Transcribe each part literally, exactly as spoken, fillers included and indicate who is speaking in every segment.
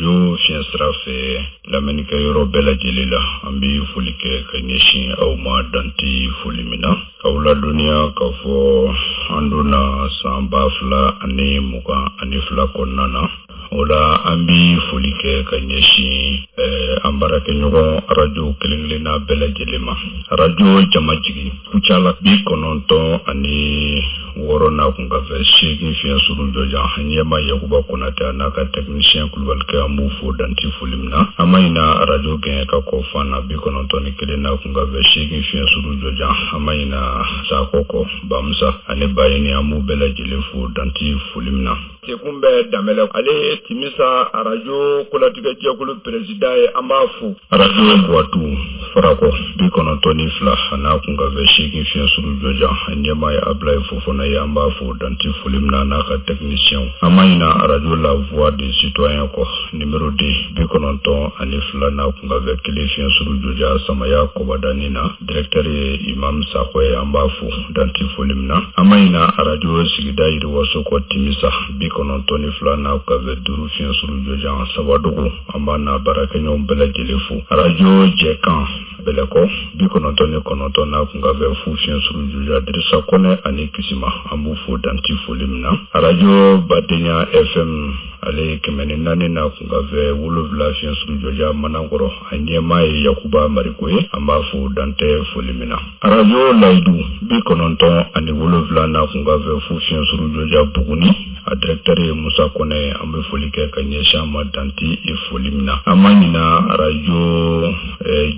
Speaker 1: arajo fiɲɛ sira fɛ lamɛnnikɛ yɔrɔ bɛɛ lajɛlen la. An bɛ foli kɛ ka ɲɛsin aw ma danti foli min na. K'aw ladɔnniya k'a fɔ an donna san ba fila ani mugan ani fila kɔnɔna na. O la an bɛ foli kɛ ka ɲɛsin an baarakɛɲɔgɔn arajo kelen-kelenna bɛɛ lajɛlen ma. Arajo Jamajigi Kucala bi kɔnɔntɔn ani wɔɔrɔ n'a kun ka fɛ seegin fiɲɛ suru jɔjan ɲɛma Yakuba Konate a n'a ka technicien Kulubalikɛ an b'u fo danti foli min na. An ma ɲina arajo gɛn ka kɔ fan na bi kɔnɔntɔn ni kelen n'a kun ka fɛ seegin fiɲɛ suru jɔjan. An ma ɲina Sakɔ kɔ Bamusa ani Bayini an b'u bɛɛ lajɛlen fo danti foli min na. Sekun bɛ Danbɛlɛ ale ye Timisa arajo kolatigɛ jɛkulu président ye, an b'a fo. Arajo Buwatu Farakɔ bi kɔnɔntɔn ni fila a n'a kun ka fɛ seegin fiɲɛ suru jɔjan ɲɛmaa ye Abulaye Fofana ye, an b'a fo danti foli min na n'a ka technicien. An ma ɲina arajo La Voix des Citoyens kɔ numéro deux bi kɔnɔntɔn ani fila n'a kun ka fɛ kelen fiɲɛ suru jɔjan Samaya Kɔbadani na, directeur ye Imam Sakɔ ye, an b'a fo danti foli min na. An ma ɲina arajo sigida yiriwaso kɔ Timisa bi kɔnɔntɔn ni fila n'a kun ka fɛ duuru fiɲɛ suru jɔjan Sabadugu, an b'a n'a baarakɛɲɔgɔn bɛɛ lajɛlen fo. Arajo Jɛkan Bɛlɛkɔ bi kɔnɔntɔn ni kɔnɔntɔn n'a kun ka fɛ fu fiɲɛ suru jɔjan Dirisa Kɔnɛ ani Kisima, an b'u fo danti foli min na. Arajo Badenya F M ale ye kɛmɛ ni naani n'a kun ka fɛ wolonwula fiɲɛ suru jɔjan Manankɔrɔ, a ɲɛmaa ye Yakuba Mariko ye, an b'a fo dantɛ foli min na. Arajo Layidu bi kɔnɔntɔn ani wolonwula n'a kun ka fɛ fu fiɲɛ suru jɔjan Buguni, a directeur ye Musa Kɔnɛ, an bɛ foli kɛ ka ɲɛsin a ma danti foli min na. An ma ɲina arajo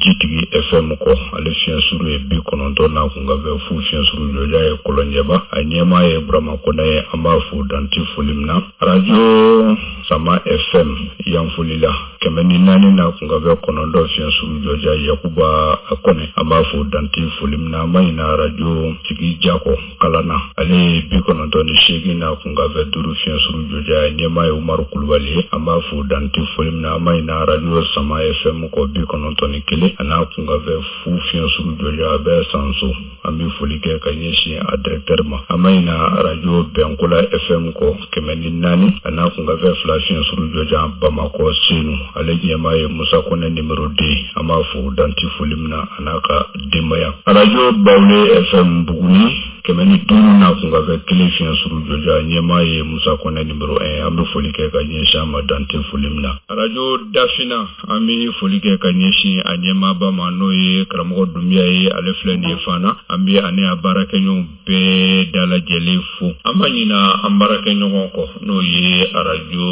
Speaker 1: Jitigi F M kɔ, ale fiɲɛ suru ye bi kɔnɔntɔn n'a kun ka fɛ fu fiɲɛ suru jɔjan ye Kɔlɔnjɛba, a ɲɛmaa ye Burama Kɔnɛ ye, an b'a fo danti foli min na. Arajo Sama F M Yanfolila kɛmɛ ni naani n'a kun ka fɛ kɔnɔntɔn fiɲɛ suru jɔjan Yakuba Kɔnɛ, an b'a fo danti foli min na. An ma ɲina arajo Sigi Jakɔ Kalana, ale ye bi kɔnɔntɔn ni seegin n'a kun ka fɛ duuru fiɲɛ suru jɔjan ɲɛmaa ye Umaru Kulubali ye, an b'a fo danti foli min na. An ma ɲina arajo Sama F M kɔ bi kɔnɔntɔn ni kelen a n'a kun ka fɛ fu fiɲɛ suru jɔjan a bɛ Sanso, an bɛ foli kɛ ka ɲɛsin a directeur ma. An ma ɲina arajo Bɛnkola F M kɔ kɛmɛ ni naani a n'a kun ka fɛ fila fiɲɛ suru jɔjan Bamakɔ Senu, ale ɲɛmaa ye Musa Kɔnɛ numéro deux, an b'a fo danti foli min na a n'a ka denbaya. Arajo Bawule F M Buguni kɛmɛ ni duuru n'a kun ka fɛ kelen fiɲɛ suru jɔjan ɲɛmaa ye Musa Kɔnɛ numéro un, an bɛ foli kɛ ka ɲɛsin a ma dante foli min na. Arajo Dafina an bɛ foli kɛ ka ɲɛsin a ɲɛmaaba ma n'o ye karamɔgɔ Dunbiya ye, ale filɛ nin ye fana, an bɛ ani a baarakɛɲɔgɔn bɛɛ dalajɛlen fo. An ma ɲina an baarakɛɲɔgɔn kɔ n'o ye arajo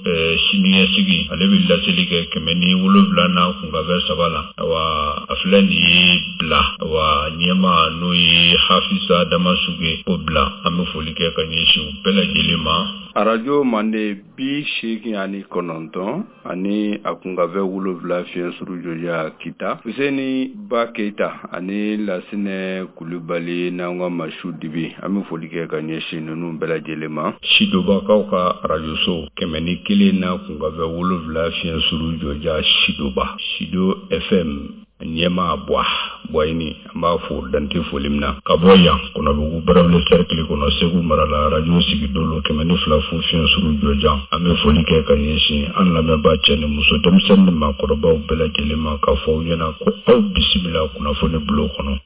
Speaker 1: siniɲɛsigi, ale bɛ laseli kɛ kɛmɛ ni wolonwula n'a kun ka fɛ saba la, awa a filɛ nin ye bila, awa ɲɛmaa n'o ye Hafisa Damasuge o bila, an bɛ foli kɛ ka ɲɛsin u bɛɛ lajɛlen ma. Arajo Mande bi seegin ani kɔnɔntɔn ani a kun ka fɛ wolonwula fiɲɛ suru jɔjan Kita, Fuseni Ba Keyita ani Lasinɛ Kulubali n'an ka Masu Dibi, an bɛ foli kɛ ka ɲɛsin ninnu bɛɛ lajɛlen ma. Sidobakaw ka arajoso kɛmɛ ni kelen n'a kun ka fɛ wolonwula fiɲɛ suru jɔjan Sidoba, Sido F M ɲɛmaa Buwa Buwayini, an b'a fo dante foli min na. Ka bɔ yan Kɔnɔbugu Barawuli cercle kɔnɔ Segu mara la, arajo Sigidolo kɛmɛ ni fila fu fiɲɛ suru jɔjan, an bɛ foli kɛ ka ɲɛsin an lamɛnbaa cɛ ni muso denmisɛnnin ni maakɔrɔbaw bɛɛ lajɛlen ma k'a fɔ aw ɲɛna ko aw bisimila kunnafoni bulon kɔnɔ.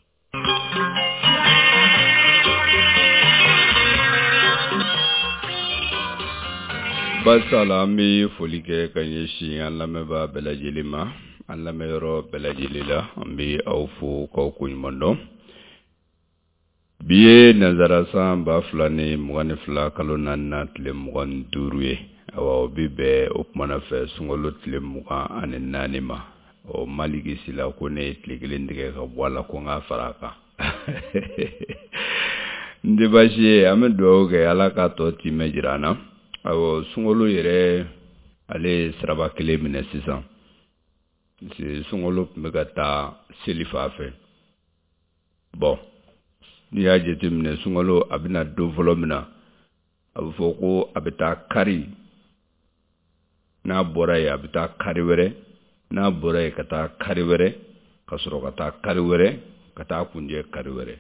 Speaker 1: Basala an bɛ foli kɛ ka ɲɛsin an lamɛnbaa bɛɛ lajɛlen ma, an lamɛnyɔrɔ bɛɛ lajɛlen la, an bɛ aw fo k'aw koɲuman dɔn. Bi ye nanzara san ba fila ni mugan ni fila kalo naani tile mugan ni duuru ye, awa o bi bɛn o kumana fɛ sunkalo tile mugan ani naani ma. Ɔ Maliki Sila ko ne ye tile kelen tigɛ ka bɔ a la ko n k'a fara a kan. N tɛ baasi ye, an bɛ dugawu kɛ Ala k'a tɔ timɛ jira an na. Awɔ sunkalo yɛrɛ ale ye siraba kelen minɛ sisan. Sunkalo tun bɛ ka taa seli fan fɛ. Bon n'i y'a jateminɛ sunkalo a bɛna don fɔlɔ min na, a bɛ fɔ ko a bɛ taa kari, n'a bɔra yen a bɛ taa kari wɛrɛ, n'a bɔra yen ka taa kari wɛrɛ, ka sɔrɔ ka taa kari wɛrɛ, ka taa kunjɛ kari wɛrɛ.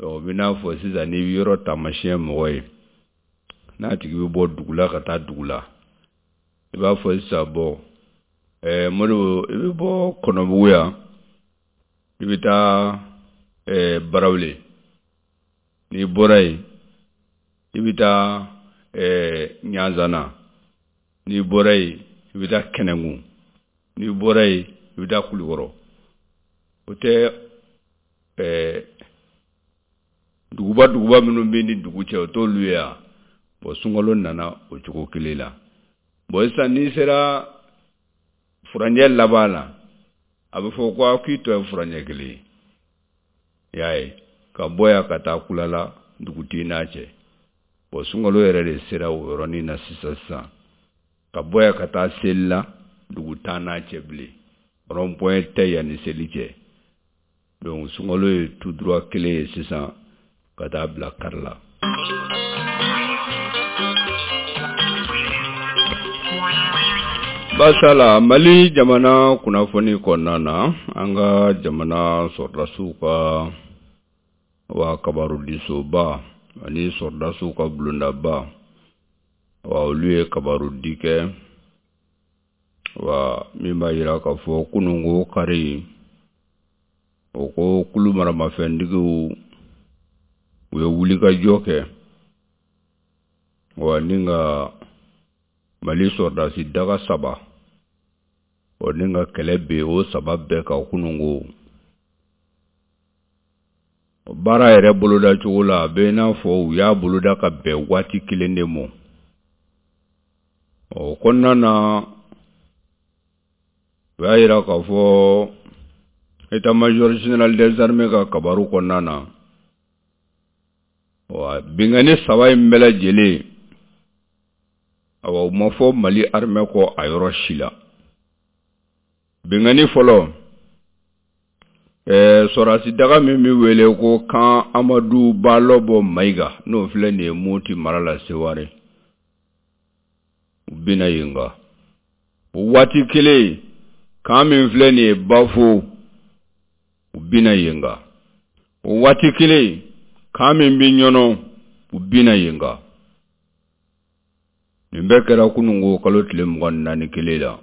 Speaker 1: Donc o bɛ n'a fɔ sisan n'i bɛ yɔrɔ taamasiyɛn mɔgɔ ye, n'a tigi bɛ bɔ dugu la ka taa dugu la, i b'a fɔ sisan bɔn ɛɛ Modibo i bɛ bɔ Kɔnɔbugu yan i bɛ taa ɛɛ Barawele n'i bɔra yen i bɛ taa ɛɛ Ɲanzana n'i bɔra yen i bɛ taa Kɛnɛnkun n'i bɔra yen i bɛ taa Kulukɔrɔ o tɛ ɛɛ duguba duguba minnu bɛ ni dugu cɛ o t'olu ye wa bɔn sunkalo nana o cogo kelen la bɔn sisan n'i sera furancɛ laban la a bɛ fɔ ko k'i tɔ ye furancɛ kelen ye i y'a ye ka bɔ yan ka taa Kulala dugu t'i n'a cɛ bɔn sunkalo yɛrɛ de sera o yɔrɔnin na sisan sisan ka bɔ yan ka taa seli la dugu t'an n'a cɛ bilen rond point tɛ yan ni seli cɛ donc sunkalo ye tout droit kelen ye sisan ka taa bila kari la. Basala Mali jamana kunnafoni kɔnɔna na an ka jamana sɔrɔdasiw ka wa kabarudisoba ani sɔrɔdasiw ka bulondaba wa olu ye kabarudi kɛ wa min b'a jira k'a fɔ kununko kari o ko kulu maramafɛntigiw u ye wulikajɔ kɛ wa ni ka Mali sɔrɔdasi daga saba o ni ka kɛlɛ bɛ o saba bɛɛ kan kununko baara yɛrɛ boloda cogo la a bɛ i n'a fɔ u y'a boloda ka bɛn waati kelen de ma o kɔnɔna na u y'a jira k'a fɔ état-major général des armées ka kabaru kɔnɔna na wa binkanni saba in bɛɛ lajɛlen awa u ma fɔ Mali armée kɔ a yɔrɔ si la binkanni fɔlɔ ɛɛ sɔrɔdasi daga min bɛ wele ko kan Amadu Balɔbɔ Mayiga n'o filɛ nin ye Moti mara la Seware u binna yen kan o waati kelen kan min filɛ nin ye Bafo u binna yen kan o waati kelen kan min bɛ Ɲɔnɔ u binna yen kan nin bɛɛ kɛra kununko kalo tile mugan ni naani kelen la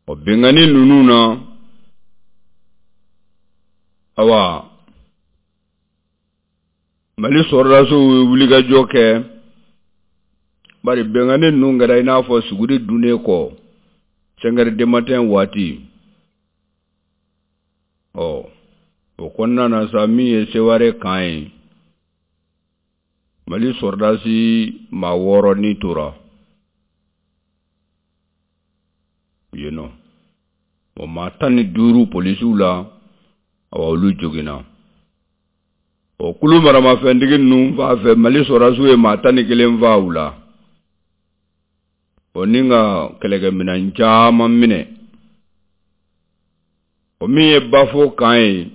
Speaker 1: o binkanni ninnu na awa Mali sɔrɔdasiw ye wulikajɔ kɛ bari binkanni ninnu kɛra i n'a fɔ suguri dunnen kɔ cinq heures du matin waati ɔ o kɔnɔna na sa min ye Seware kan ye Mali sɔrɔdasi maa wɔɔrɔ ni tora yen nɔ o maa tan ni duuru polisiw la awa olu joginna o kulu maramafɛntigi ninnu fan fɛ Mali sɔrɔdasiw ye maa tan ni kelen faa u la o ni ka kɛlɛkɛminɛn caman minɛ o min ye Bafo kan ye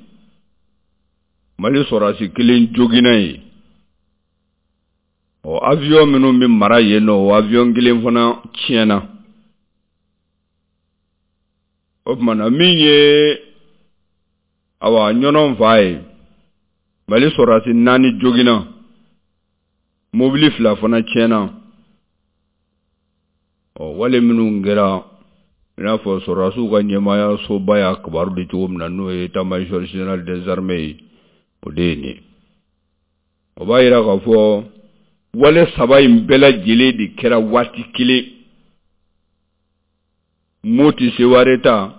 Speaker 1: Mali sɔrɔdasi kelen joginna yen ɔ avion minnu bɛ mara yen nɔ o avion kelen fana tiɲɛna o tuma na min ye awa Ɲɔnɔ fa ye Mali sɔrɔdasi naani joginna mobili fila fana tiɲɛna ɔ wale minnu kɛra i n'a fɔ sɔrɔdasiw ka ɲɛmaaya soba y'a kibaru di cogo min na n'o ye état-major général des armées ye o de ye nin ye o b'a jira k'a fɔ wale saba in bɛɛ lajɛlen de kɛra waati kelen Moti Seware ta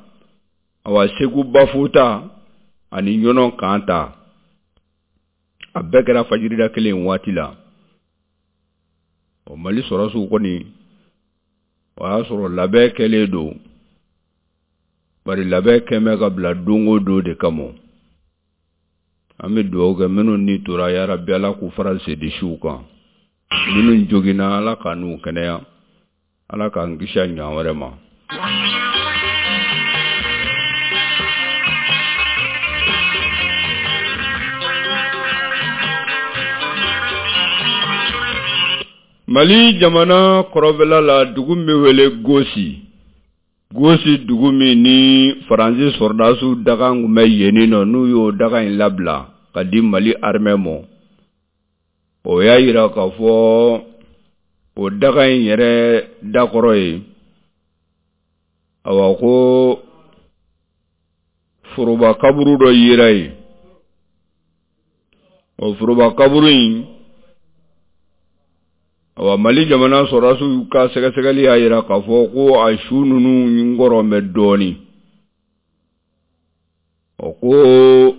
Speaker 1: awa Segu Bafo ta ani Ɲɔnɔ kan ta a bɛɛ kɛra fajirida kelen waati la ɔ Mali sɔrɔdasiw kɔni o y'a sɔrɔ labɛn kɛlen don bari labɛn kɛn bɛ ka bila don o don de kama an bɛ dugawu kɛ minnu ni tora yarabi Ala k'u fara sedisiw kan minnu joginna Ala k'a n'u kɛnɛya Ala k'an kisi a ɲɔgɔn wɛrɛ ma. Mali jamana kɔrɔnfɛla la dugu min bɛ wele Gosi Gosi dugu min ni Faransi sɔrɔdasiw daga tun bɛ yen nɔ n'u y'o daga in labila ka di Mali armée ma o y'a jira k'a fɔ O daga in yɛrɛ dakɔrɔ ye, awa, ko foroba kaburu dɔ yera yen. O foroba kaburu in, awa, Mali jamana sɔrɔdasiw ka sɛgɛsɛgɛli y'a jira k'a fɔ ko a su ninnu kɔrɔ bɛ dɔɔnin. Ɔ, ko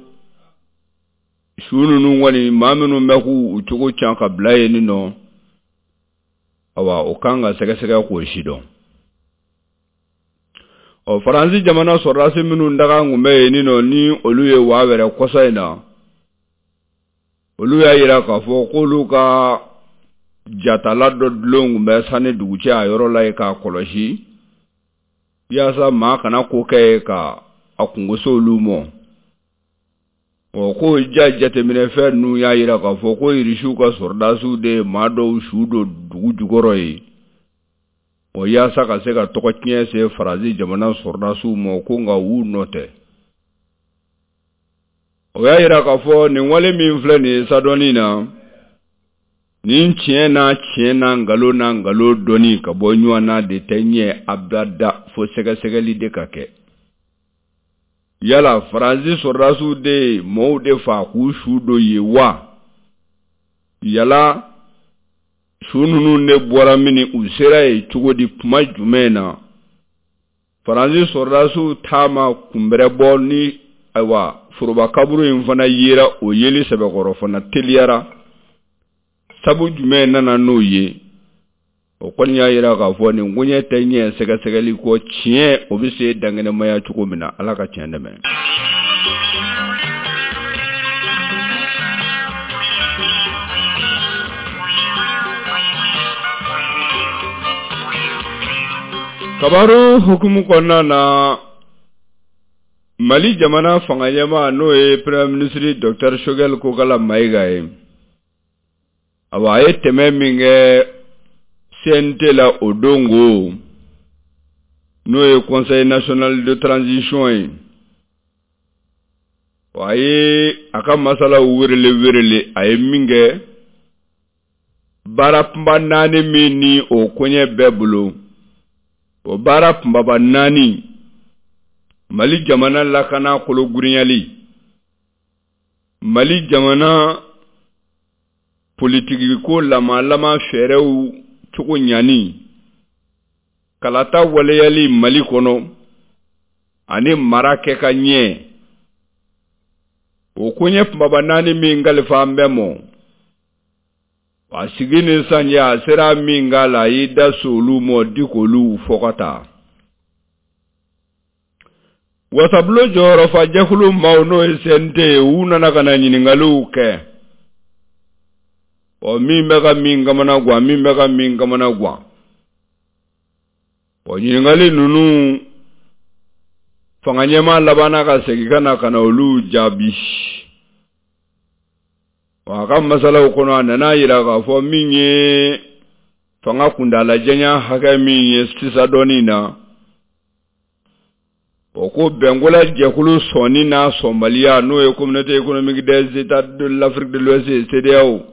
Speaker 1: su ninnu kɔni, maa minnu bɛ k'u cogo can ka bila yen nɔ, awa, o kan ka sɛgɛsɛgɛ k'o si dɔn. Ɔ, Faransi jamana sɔrɔdasi minnu daga kun bɛ yen nɔ, ni olu ye waa wɛrɛ kɔsa in na, olu y'a jira k'a fɔ k'olu ka jatala dɔ dulon kun bɛ sanni dugu cɛ a yɔrɔ la yen k'a kɔlɔsi, yaasa maa kana ko kɛ ye ka a kungo se olu ma. Ɔ, ko ja jateminɛfɛn ninnu y'a jira k'a fɔ ko irisiw ka sɔrɔdasiw de ye maa dɔw su don dugu jukɔrɔ yen, o yaasa ka se ka tɔgɔ tiɲɛ se Faransi jamana sɔrɔdasiw ma, ko nka u nɔ tɛ. O y'a jira k'a fɔ nin wale min filɛ nin ye sadɔnni na nin, tiɲɛ n'a tiɲɛ n'a nkalon n'a nkalon dɔnni ka bɔ ɲɔgɔn na de tɛ ɲɛ abada, fo sɛgɛsɛgɛli de ka kɛ. Yala Faransi sɔrɔdasiw de ye mɔɔw de fa k'u su don yen wa? Yala su ninnu de bɔra min, u sera yen cogo di, kuma jumɛn na? Faransi sɔrɔdasiw taama kunbɛrɛ bɔ ni, ayiwa, foroba kaburu in fana yera, o yeli sɛbɛkɔrɔ fana teliyara, sabu jumɛn nana n'o ye? O kɔni y'a jira k'a fɔ nin koɲɛ tɛ ɲɛ sɛgɛsɛgɛli kɔ, tiɲɛ o bɛ se dankɛnɛmaya cogo min na. Ala ka tiɲɛ dɛmɛ. Kabaru hukumu kɔnɔna na, Mali jamana fanga ɲɛmaa, n'o ye Premier ministre Docteur Choguel Kokala Maïga ye, awa, a ye tɛmɛ min kɛ C N T la o don ko, n'o ye Conseil national de transition ye, a ye a ka masalaw werele werele. A ye min kɛ, baara kunba naani min ni o koɲɛ bɛɛ bolo, o baara kunbaba naani: Mali jamana lakana kologirinyali, Mali jamana politikiko lamalama fɛɛrɛw cogo ɲani, kalata waleyali Mali kɔnɔ, ani mara kɛ ka ɲɛ. O koɲɛ kunbaba naani min kalifa an bɛɛ mɔ, a sigi ni san cɛ, a sera min k'a la, a y'i da so olu mɔ di k'olu fɔ ka taa. Wasabulon jɔyɔrɔfa jɛkulu maaw, n'o ye C N T ye, u nana ka na ɲininkaliw kɛ. Ɔ, min bɛ ka min kamana gan, min bɛ ka min kamana gan, ɔ, ɲininkali ninnu, fanga ɲɛmaa labanna ka segin ka na ka na olu jaabi. A ka masalaw kɔnɔ, a nana jira k'a fɔ min ye fanga kuntaala hakɛ min ye sisan dɔɔnin na, o ko bɛnkola jɛkulu sɔnni n'a sɔnbaliya, n'o ye Communauté économique des États de l'Afrique de l'Ouest, CEDEAO,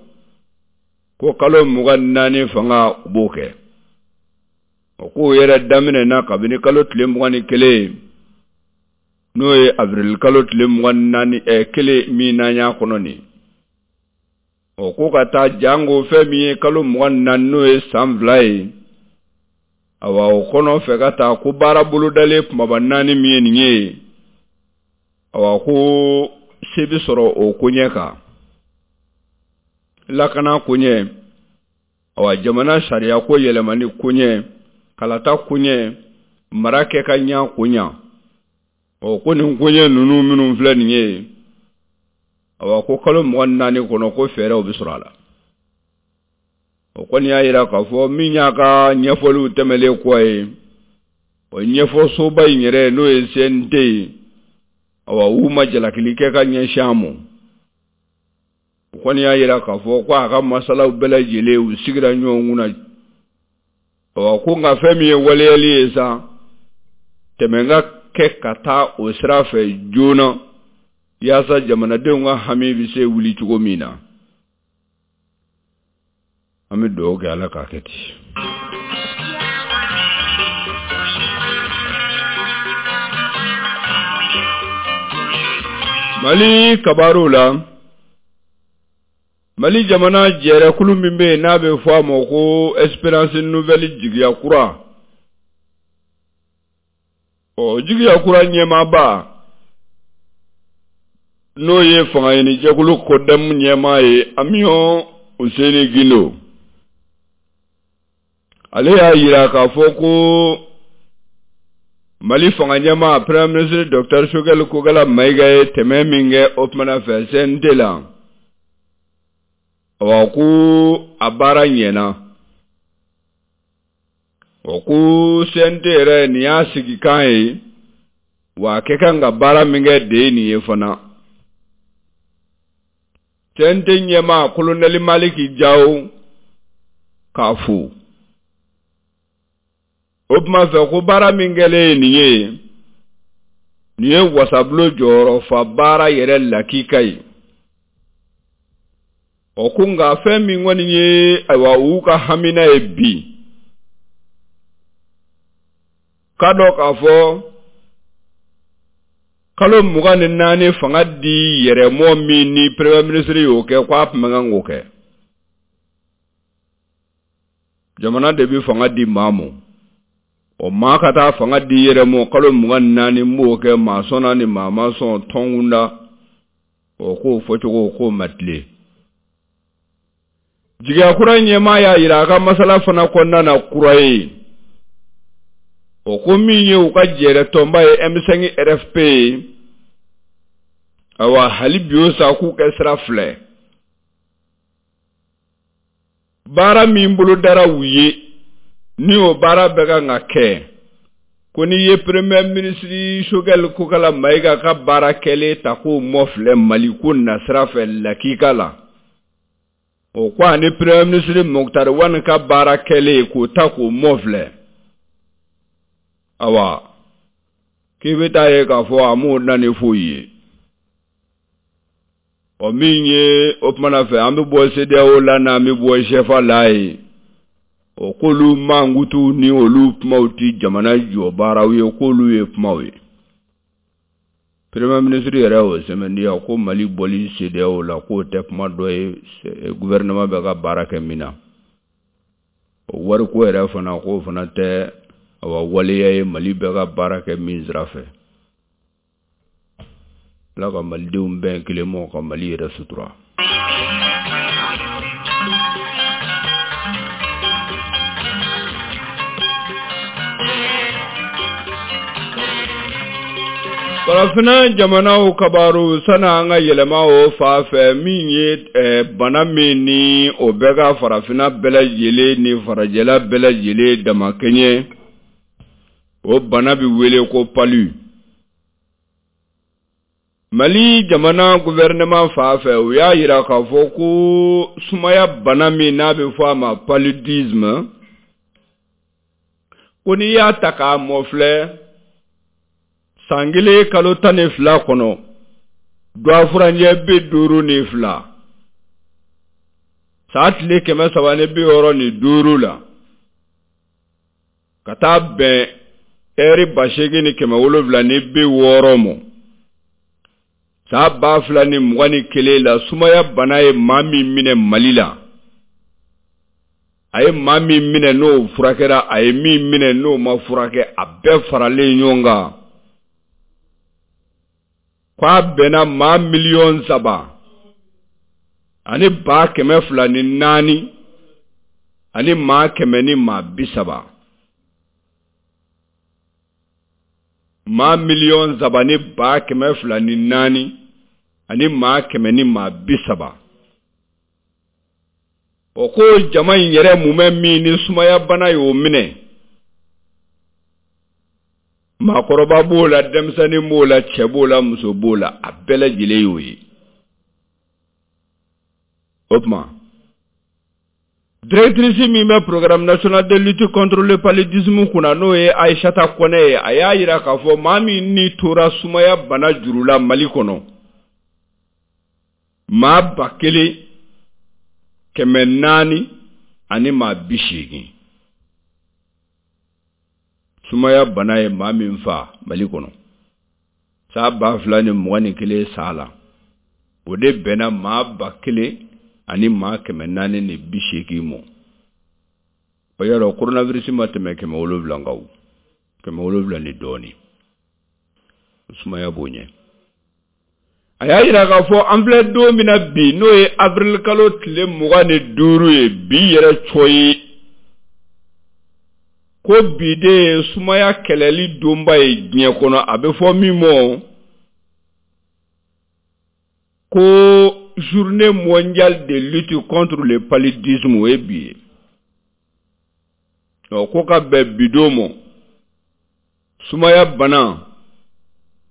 Speaker 1: ko kalo mugan ni naani fanga, u b'o kɛ. O k'o yɛrɛ daminɛna kabini kalo tile mugan ni kelen, n'o ye avril kalo tile mugan ni naani ɛ kelen min n'an y'a kɔnɔ nin. O ko ka taa jango fɛn min ye kalo mugan ni naani, n'o ye san fila ye. Awa, o kɔnɔ fɛ ka taa, ko baara bolodalen kumaba naani min ye nin ye, awa, ko se bɛ sɔrɔ o koɲɛ kan: lakana koɲɛ, awa, jamana sariya ko yɛlɛmani koɲɛ, kalata koɲɛ, mara kɛ ka ɲa koɲa. Ɔ, ko nin koɲɛ ninnu minnu filɛ nin ye, awa, ko kalo mugan ni naani kɔnɔ, ko fɛɛrɛw bɛ sɔrɔ a la. O kɔni y'a jira k'a fɔ min y'a ka ɲɛfɔliw tɛmɛlen kɔ ye, o ɲɛfɔsoba in yɛrɛ, n'o ye C N T ye, awa, u ma jalakili kɛ ka ɲɛsin a ma. O kɔni y'a jira k'a fɔ ko a ka masalaw bɛɛ lajɛlen, u sigira ɲɔgɔn kunna. Awa, ko nka fɛn min ye waleyali ye sa, tɛmɛ ka kɛ ka taa o sira fɛ joona, yaasa jamanadenw ka hami bɛ se wuli cogo min na. An bɛ dugawu kɛ Ala k'a kɛ ten. Mali kabaru la, Mali jamana jɛrɛkulu min bɛ yen n'a bɛ fɔ a ma ko Espérance Nouvelle jigiya kura, ɔ jigiya kura ɲɛmaaba n'o ye fangaɲinijɛkulu CODEM ɲɛmaa ye Amion Useni Gindo, ale y'a yira k'a fɔ ko Mali fanga ɲɛmaa Premier ministre Docteur Choguel Kokalla Maïga ye tɛmɛ min kɛ o tumana fɛ C N T la, awa ko a baara ɲɛna. O ko C N T yɛrɛ nin y'a sigikan ye, wa a kɛ kan ka baara min kɛ de ye nin ye fana. C N T ɲɛmaa Colonel Maliki Diaw k'a fo. O tuma fɛ ko baara min kɛlen ye nin ye, nin ye wasabulon jɔyɔrɔfa baara yɛrɛ lakika ye. O ko nka fɛn min kɔni ye ayiwa u ka hamina ye bi, k'a dɔn k'a fɔ kalo mugan ni naani fanga di yɛrɛmɔ min ni premier ministre y'o kɛ k'a tun man kan k'o kɛ. Jamana de bɛ fanga di maa ma. O maa ka taa fanga di yɛrɛ mɔ kalo mugan ni naani n b'o kɛ maa sɔnna ni maa ma sɔn tɔnkunda, o k'o fɔcogo k'o ma tilen. Jigiya kura ɲɛmaa y'a yira a ka masala fana kɔnɔna na kura ye. O ko min ye u ka jɛrɛ tɔnba ye M cinq R F P ye, ayiwa hali bi o sa k'u kɛ sira filɛ. Baara min bolodara u ye, ni o baara bɛ kan ka kɛ, ko n'i ye premier ministre Choguel Kokalla Maïga ka baara kɛlen ta k'o mɔfilɛ Mali ko nasira fɛ lakika la, o ko ani premier ministre Moctar Ouane ka baara kɛlen k'o ta k'o mɔfilɛ, awa k'i bɛ taa ye k'a fɔ a m'o na ni foyi ye. Ɔ min ye o tumana fɛ an bɛ bɔ C D A O la n'an bɛ bɔ C F A la ye, o k'olu mankutu ni olu kumaw ti jamana jɔ baaraw ye, k'olu ye kumaw ye. Premier ministre yɛrɛ y'o sɛmɛntiya ko Mali bɔli C D A O la k'o tɛ kuma dɔ ye gouvernement bɛ ka baara kɛ min na. O wariko yɛrɛ fana k'o fana tɛ awa waleya ye Mali bɛ ka baara kɛ min sira fɛ. Ala ka Malidenw bɛn kelen mɔ ka Mali yɛrɛ sutura. Farafinna jamanaw kabaru sanni an ka yɛlɛma o fan fɛ, min ye bana min ni o bɛ ka farafinna bɛɛ lajɛlen ni farajɛla bɛɛ lajɛlen damakɛɲɛ, o bana bɛ wele ko palu. Mali jamana gouvernement fan fɛ, u y'a yira k'a fɔ ko sumaya bana min n'a bɛ fɔ a ma paludisme, ko n'i y'a ta k'a mɔfilɛ san kelen kalo tan ni fila kɔnɔ, dɔgɔfuranjɛ bi duuru ni fila, san tile kɛmɛ saba ni bi wɔɔrɔ ni duuru la, ka taa bɛn ɛri ba seegin ni kɛmɛ wolonwula ni bi wɔɔrɔ ma, san ba fila ni mugan ni kelen la, sumaya bana ye maa min minɛ Mali la, a ye maa min minɛ n'o furakɛra, a ye min minɛ n'o ma furakɛ, a bɛɛ faralen ɲɔgɔn kan, k'a bɛnna maa miliyɔn saba ani ba kɛmɛ fila ni naani ani maa kɛmɛ ni maa bi saba. Maa miliyɔn saba ni ba kɛmɛ fila ni naani ani maa kɛmɛ ni maa bi saba. O ko jama in yɛrɛ mumɛ min ni sumaya bana y'o minɛ, maakɔrɔba b'o la, denmisɛnnin b'o la, cɛ b'o la, muso b'o la, a bɛɛ lajɛlen y'o ye. O tuma directrice min bɛ programme national de lutte contre le paludisme kunna, n'o ye Aïssata Kɔnɛ ye, a y'a yira k'a fɔ maa min ni tora sumaya bana juru la Mali kɔnɔ, maa ba kelen kɛmɛ naani ani maa bi seegin. Sumaya bana ye maa min fa Mali kɔnɔ san ba fila ni mugan ni kelen san la, o de bɛnna maa ba kelen ani maa kɛmɛ naani ni bi seegin mɔ. O y'a dɔn coronavirus ma tɛmɛ kɛmɛ wolonwula kan o, kɛmɛ wolonwula ni dɔɔnin. Sumaya b'o ɲɛ. A y'a jira k'a fɔ an filɛ don min na bi, n'o ye avril kalo tile mugan ni duuru ye, bi yɛrɛ cɔ ye, ko bi de ye sumaya kɛlɛli donba ye diɲɛ kɔnɔ. A bɛ fɔ min ma ko journée mondiale de lutte contre le paludisme, o ye bi ye. Ɔ ko ka bɛn bi don ma, sumaya bana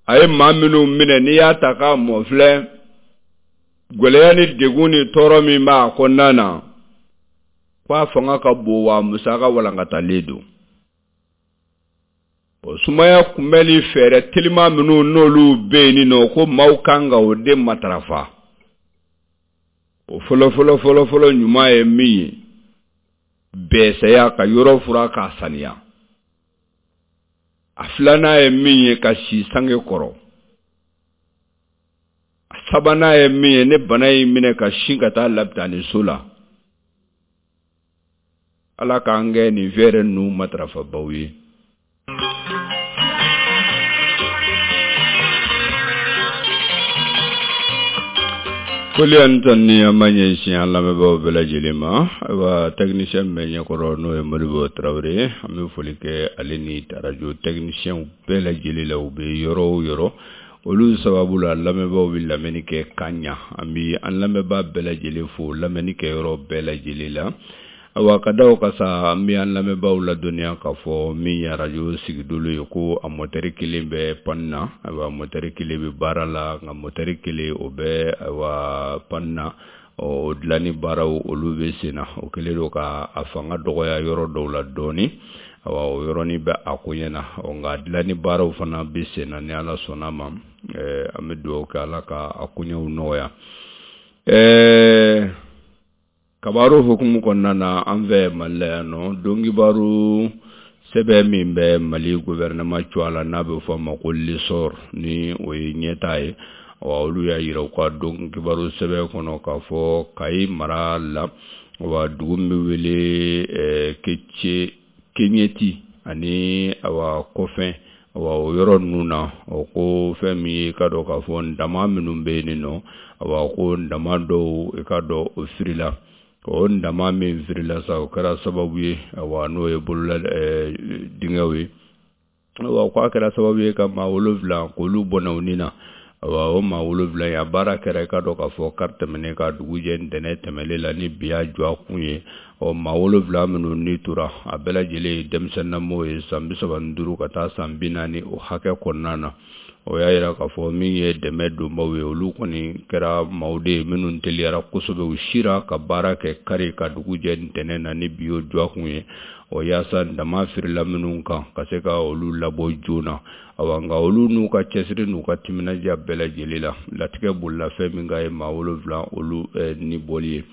Speaker 1: a ye maa minnu minɛ, n'i y'a ta k'a mɔ filɛ, gɛlɛya ni degun ni tɔɔrɔ min b'a kɔnɔna na, k'a fanga ka bon wa musaka walankatalen don. O sumaya kunbɛnni fɛɛrɛ teliman minnu n'olu bɛ yen nɔ, ko maaw kan ka o de matarafa. O fɔlɔ fɔlɔ fɔlɔ fɔlɔ ɲuman ye min ye, bɛɛsɛya, ka yɔrɔ fura k'a saniya. A filanan ye min ye, ka si sange kɔrɔ. A sabanan ye min ye, ne bana y'i minɛ ka sin ka taa lapitaniso la. Ala k'an kɛ nin fɛɛrɛ ninnu matarafabaw ye. Foli ani tanuni an b'a ɲɛsin an lamɛnbaaw bɛɛ lajɛlen ma. Ayiwa, technicien min bɛ ɲɛkɔrɔ n'o ye Modibo Tarawele ye, an bɛ foli kɛ ale ni radio technicien bɛɛ lajɛlen la, u bɛ yɔrɔ o yɔrɔ. Olu sababu la lamɛnbaaw bɛ lamɛnni kɛ ka ɲa. An bɛ an lamɛnbaa bɛɛ lajɛlen fo lamɛnni kɛ yɔrɔ bɛɛ lajɛlen la. Ayiwa, ka da o kan sa, an bɛ an lamɛnbaaw ladɔnniya k'a fɔ min ye arajo sigidolo ye, ko a mɔtɛri kelen bɛ panne na. Ayiwa, mɔtɛri kelen bɛ baara la, nka mɔtɛri kelen o bɛ ayiwa panne na. O dilanni baaraw olu bɛ sen na. O kɛlen don ka a fanga dɔgɔya yɔrɔ dɔw la dɔɔnin. Ayiwa, o yɔrɔnin bɛ a koɲɛ na. Nka dilanni baaraw fana bɛ sen na, ni Ala sɔnna ma. An bɛ dugawu kɛ Ala ka a koɲɛw nɔgɔya. Ɛɛ Kabaru hukumu kɔnɔna na, an fɛ Mali la yan nɔ, donkibaru sɛbɛn min bɛ Mali gouvernement cogoya la, n'a bɛ fɔ a ma ko l'essor, ni o ye ɲɛtaa ye. Wa olu y'a jira u ka donkibaru sɛbɛn kɔnɔ k'a fɔ Kayi mara la, wa dugu min bɛ wele Kece Keɲɛti ani awa Kɔfɛn, awa o yɔrɔ ninnu na, o ko fɛn min ye, i ka dɔn k'a fɔ ndama minnu bɛ yen nɔ, awa ko ndama dɔw i ka dɔn o firila. O ndama min firila sa, o kɛra sababu ye, awa n'o ye bolola dingɛw ye, awa k'a kɛra sababu ye ka maa wolonwula k'olu bɔnɛ u ni na. Awa o maa wolonwula in, a baara kɛra i ka dɔn k'a fɔ kari tɛmɛnen ka dugu jɛ ntɛnɛn tɛmɛnen la, ni bi y'a jɔ a kun ye. Ɔ maa wolonwula minnu ni tora, a bɛɛ lajɛlen ye denmisɛnninlamɔgɔw ye, san bi saba ni duuru ka taa san bi naani o hakɛ kɔnɔna na. O y'a jira k'a fɔ min ye dɛmɛ donbaw ye, olu kɔni kɛra maaw de ye minnu teliyara kosɛbɛ, u sira ka baara kɛ kari ka dugu jɛ ntɛnɛn na, ni bi y'o jɔ a kun ye. O yaasa dama firila minnu kan ka se ka olu labɔ joona. Awa nka olu n'u ka cɛsiri n'u ka timinadiya bɛɛ lajɛlen la, latigɛ bolila fɛn min kan ye maa wolonwula olu ni bɔli ye.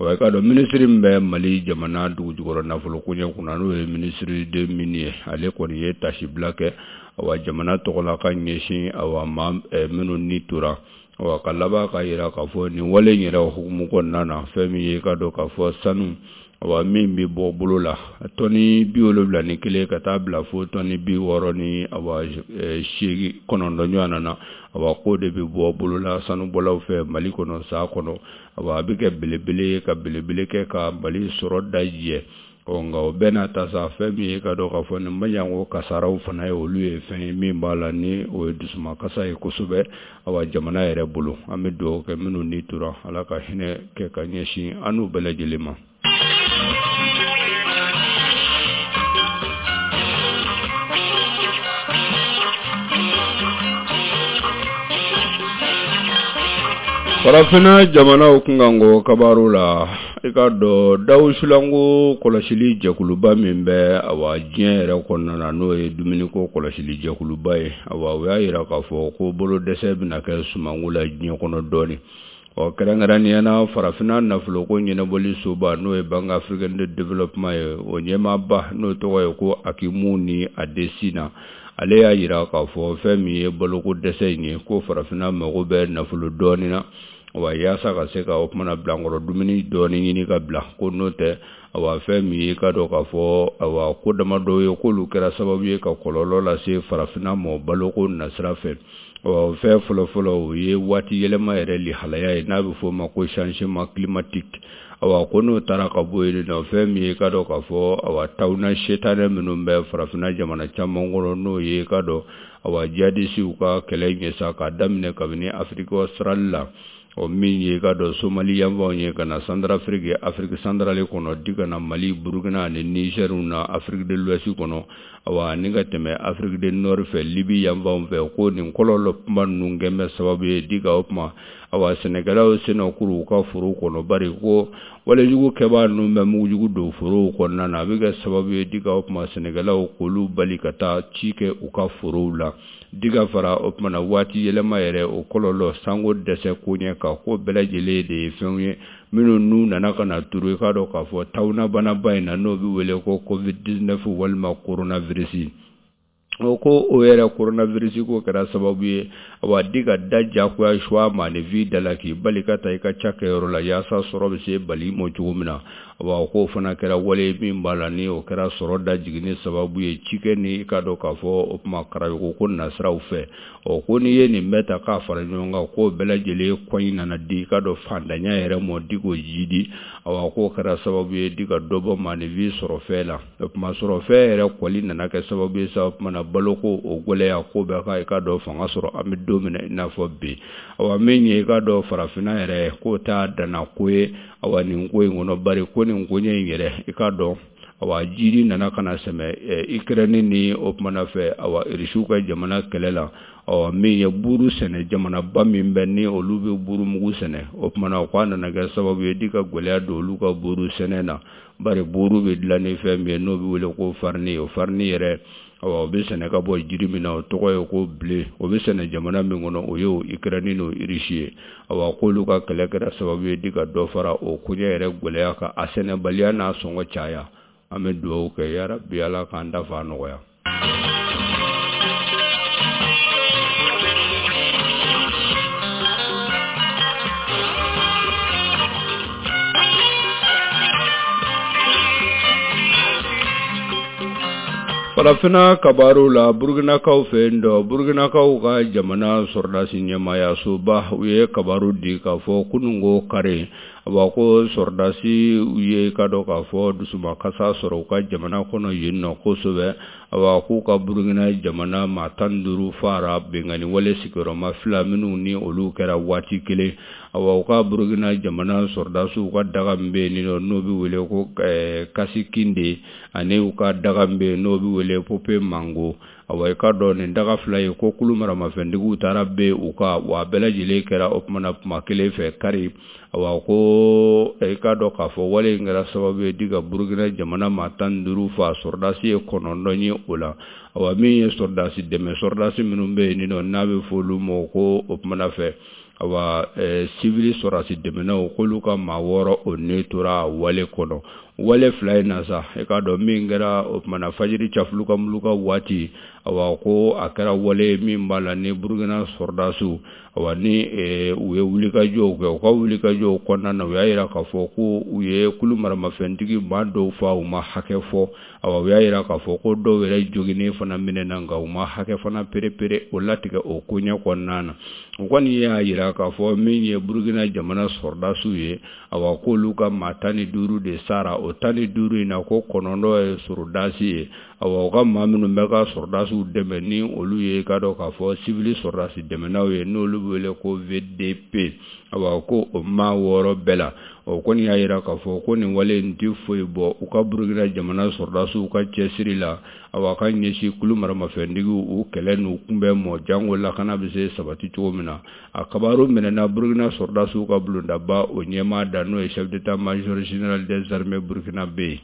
Speaker 1: Wa i k'a dɔn minisiri min bɛ Mali jamana dugujukɔrɔ nafolo koɲɛ kunna, n'o ye minisiri de mine ye, ale kɔni ye tasibila kɛ awa jamana tɔgɔ la ka ɲɛsin awa maa minnu ni tora. Awa ka laban k'a jira k'a fɔ nin wale in yɛrɛ hukumu kɔnɔna na, fɛn min ye i ka dɔn k'a fɔ sanu awa min bɛ bɔ bolo la tɔni bi wolonwula ni kelen ka taa bila fo tɔni bi wɔɔrɔ ni awa seegin kɔnɔntɔn ɲɔgɔn na, awa k'o de bɛ bɔ bolo la sanubɔlaw fɛ Mali kɔnɔ san kɔnɔ. Awa a bɛ kɛ belebele ye ka belebele kɛ ka Mali sɔrɔ dajɛ. Ɔ nka o bɛɛ n'a ta sa, fɛn min ye ka dɔn k'a fɔ nin maɲanko kasaraw fana ye, olu ye fɛn ye min b'a la ni o ye dusumakasa ye kosɛbɛ awa jamana yɛrɛ bolo. An bɛ dugawu kɛ minnu ni tora, Ala ka hinɛ kɛ ka ɲɛsin an n'u bɛɛ lajɛlen ma. Farafinna jamanaw kunkanko kabaru la, i k'a dɔn dawusulanko kɔlɔsili jɛkuluba min bɛ awa diɲɛ yɛrɛ kɔnɔna na, n'o ye dumuniko kɔlɔsili jɛkuluba ye, awa o y'a jira k'a fɔ ko bolo dɛsɛ bɛna kɛ sumanko la diɲɛ kɔnɔ dɔɔnin. Ɔ kɛrɛnkɛrɛnnenya na farafinna nafoloko ɲɛnabɔli soba n'o ye Banque africaine de développement ye, o ɲɛmaaba n'o tɔgɔ ye ko Akinwumi Adesina, ale y'a jira k'a fɔ fɛn min ye baloko dɛsɛ in ye, ko farafinna mago bɛ nafolo dɔɔnin na, wa yaasa ka se ka o kumana bilankɔrɔ dumuni dɔɔnin ɲini ka bila, ko n'o tɛ awa fɛn min ye ka dɔn k'a fɔ awa ko damadɔ ye k'olu kɛra sababu ye ka kɔlɔlɔ lase farafinna ma baloko nasira fɛ. Ɔ fɛn fɔlɔfɔlɔ o ye waati yɛlɛma yɛrɛ lihalaya ye n'a bɛ f'o ma ko changement climatique. Awa ko n'o taara ka bɔ yen nɔ, fɛn min ye ka dɔn k'a fɔ awa tawuna setanɛ minnu bɛ farafinna jamana caman kɔnɔ n'o ye ka dɔn awa jihadisiw ka kɛlɛ ɲɛsa k'a daminɛ kabini Afrique australe la, o min ye ka dɔn Somali yanfanw ye ka na Centrafrique, Afrique centrale kɔnɔ, di ka na Mali, Burukina ani Niger na Afrique de l'Ouest kɔnɔ, awa ni ka tɛmɛ Afrique du Nord fɛ, Libye yanfanw fɛ, ko nin kɔlɔlɔ kuma ninnu kɛn bɛ sababu ye di ka o kuma awa sɛnɛkɛlaw senna kuru u ka foro kɔnɔ, bari ko walejugu kɛbaa ninnu bɛ mugujugu don forow kɔnɔna na, a bɛ kɛ sababu ye di ka o kuma sɛnɛkɛlaw k'olu bali ka taa ci kɛ u ka forow la. Di ka fara o kuma na waati yɛlɛma yɛrɛ o kɔlɔlɔ sanko dɛsɛ koɲɛ kan, ko bɛɛ lajɛlen de ye fɛnw ye minnu n'u nana ka na turu i k'a dɔn k'a fɔ tawunabanaba in na n'o bɛ wele ko covid dix-neuf walima coronavirus. O ko o yɛrɛ coronavirus ko kɛra sababu ye awa di ka da jagoya suwa maaninfin da la k'i bali ka taa i ka cakɛyɔrɔ la yaasa sɔrɔ bɛ se bali ma cogo min na. Awa k'o fana kɛra wale min b'a la ni o kɛra sɔrɔ da jiginni sababu ye cikɛ ni i ka dɔn k'a fɔ o tuma karayoko ko nasiraw fɛ. Ɔ ko n'i ye nin bɛɛ ta k'a fara ɲɔgɔn kan, k'o bɛɛ lajɛlen kɔɲi nana di i ka dɔn fantanya yɛrɛ mɔ di k'o jidi. Awa k'o kɛra sababu ye di ka dɔ bɔ maaninfin sɔrɔfɛn la. O tuma sɔrɔfɛn yɛrɛ kɔli nana kɛ sababu ye sa o tuma na baloko o gɛlɛya ko bɛɛ ka i ka dɔn fanga sɔrɔ an bɛ don min na i n'a fɔ bi. Awa min ye i ka dɔn farafinna yɛrɛ k'o t'a danna ko ye awa nin ko in kɔnɔ, bari ko nin koɲɛ in yɛrɛ i ka dɔn awa jiri nana ka na sɛmɛ Ukraine ni o kumana fɛ awa Irisiw ka jamana kɛlɛ la. Ɔ min ye buru sɛnɛ jamanaba min bɛ ni olu bɛ buru mugu sɛnɛ, o kumana k'a nana kɛ sababu ye di ka gɛlɛya don olu ka buru sɛnɛ na, bari buru bɛ dilan ni fɛn min ye n'o bɛ wele ko farini, o farini yɛrɛ awa o bɛ sɛnɛ ka bɔ jiri min na o tɔgɔ ye ko blé, o bɛ sɛnɛ jamana min kɔnɔ o ye o Ukraine n'o Irisi ye. Awa k'olu ka kɛlɛ kɛra sababu ye di ka dɔ fara o koɲɛ yɛrɛ gɛlɛya kan, a sɛnɛbaliya n'a sɔngɔ caya. An bɛ dugawu kɛ yarabi Ala k'an da fa nɔgɔya. Farafinna kabaru la, Burkinakaw fɛ yen dɔ, Burkinakaw ka jamana sɔrɔdasi ɲɛmaayasoba u ye kabaru di k'a fɔ kununko kari, awa ko sɔrɔdasi u ye ka dɔn k'a fɔ dusumakasa sɔrɔ u ka jamana kɔnɔ yen nɔ kosɛbɛ. Awa k'u ka Burkina jamana maa tan ni duuru fara binkanni wale sigiyɔrɔma fila minnu ni olu kɛra waati kelen. Awa u ka Burkina jamana sɔrɔdasiw ka daga min bɛ yen nɔ n'o bɛ wele ko Kasikinde, ani u ka daga min bɛ yen n'o bɛ wele Pope Mango. Awa i ka dɔn nin daga fila ye ko kulu maramafɛntigiw taara bɛ u ka wa bɛɛ lajɛlen kɛra o kumana kuma kelen fɛ kari. Awa ko i ka dɔn k'a fɔ wale in kɛra sababu ye di ka Burkina jamana maa tan ni duuru fa, sɔrɔdasi ye kɔnɔntɔn ye o la. Awa min ye sɔrɔdasi dɛmɛ sɔrɔdasi minnu bɛ yen nɔ n'a bɛ fɔ olu ma ko o kumana fɛ awa sivili sɔrɔdasi dɛmɛnaw k'olu ka maa wɔɔrɔ o ne tora wale kɔnɔ. Wale fila in na sa i k'a dɔn min kɛra o kumana fajiri cafuluka muluka waati, awa ko a kɛra wale min b'a la ni Burkina sɔrɔdasiw awa ni u ye wulikajɔw kɛ, u ka wulikajɔw kɔnɔna na u y'a jira k'a fɔ ko u ye kulu maramafɛntigi maa dɔw fa u ma hakɛ fɔ. Awa u y'a jira k'a fɔ ko dɔw yɛrɛ joginnen fana minɛna nka u ma hakɛ fana perepere o latigɛ o koɲɛ kɔnɔna na. U kɔni y'a jira k'a fɔ min ye Burkina jamana sɔrɔdasiw ye, awa k'olu ka maa tan ni duuru de sara, o tan ni duuru in na ko kɔnɔntɔn ye sɔrɔdasi ye. Awa u ka maa minnu bɛ ka sɔrɔdasiw dɛmɛ ni olu ye ka dɔn k'a fɔ sivili sɔrɔdasi dɛmɛnaw ye n'olu bɛ wele ko V D P, awa ko o maa wɔɔrɔ bɛɛ la. O kɔni y'a jira k'a fɔ ko nin wale in tɛ foyi bɔ u ka Burkina jamana sɔrɔdasiw ka cɛsiri la, awa ka ɲɛsin kulu maramafɛntigiw u kɛlɛ n'u kunbɛn mɔ jango lakana bɛ se sabati cogo min na. A kabaru minɛna Burkina sɔrɔdasiw ka bulondaba o ɲɛmaa da n'o ye chef d'état-major général des armées burkinabé ye.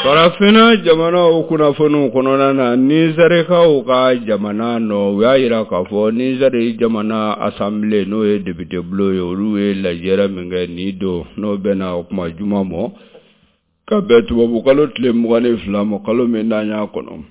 Speaker 1: Farafinna jamanaw kunnafoniw kɔnɔna na, Nizɛrikaw ka jamana nɔ, u y'a jira k'a fɔ Nizɛri jamana assemblée, n'o ye député bulon ye, olu ye lajɛrɛ min kɛ nin don, n'o bɛnna o kuma juma mɔ ka bɛn tubabukalo tile mugan ni fila ma, kalo min n'an y'a kɔnɔ.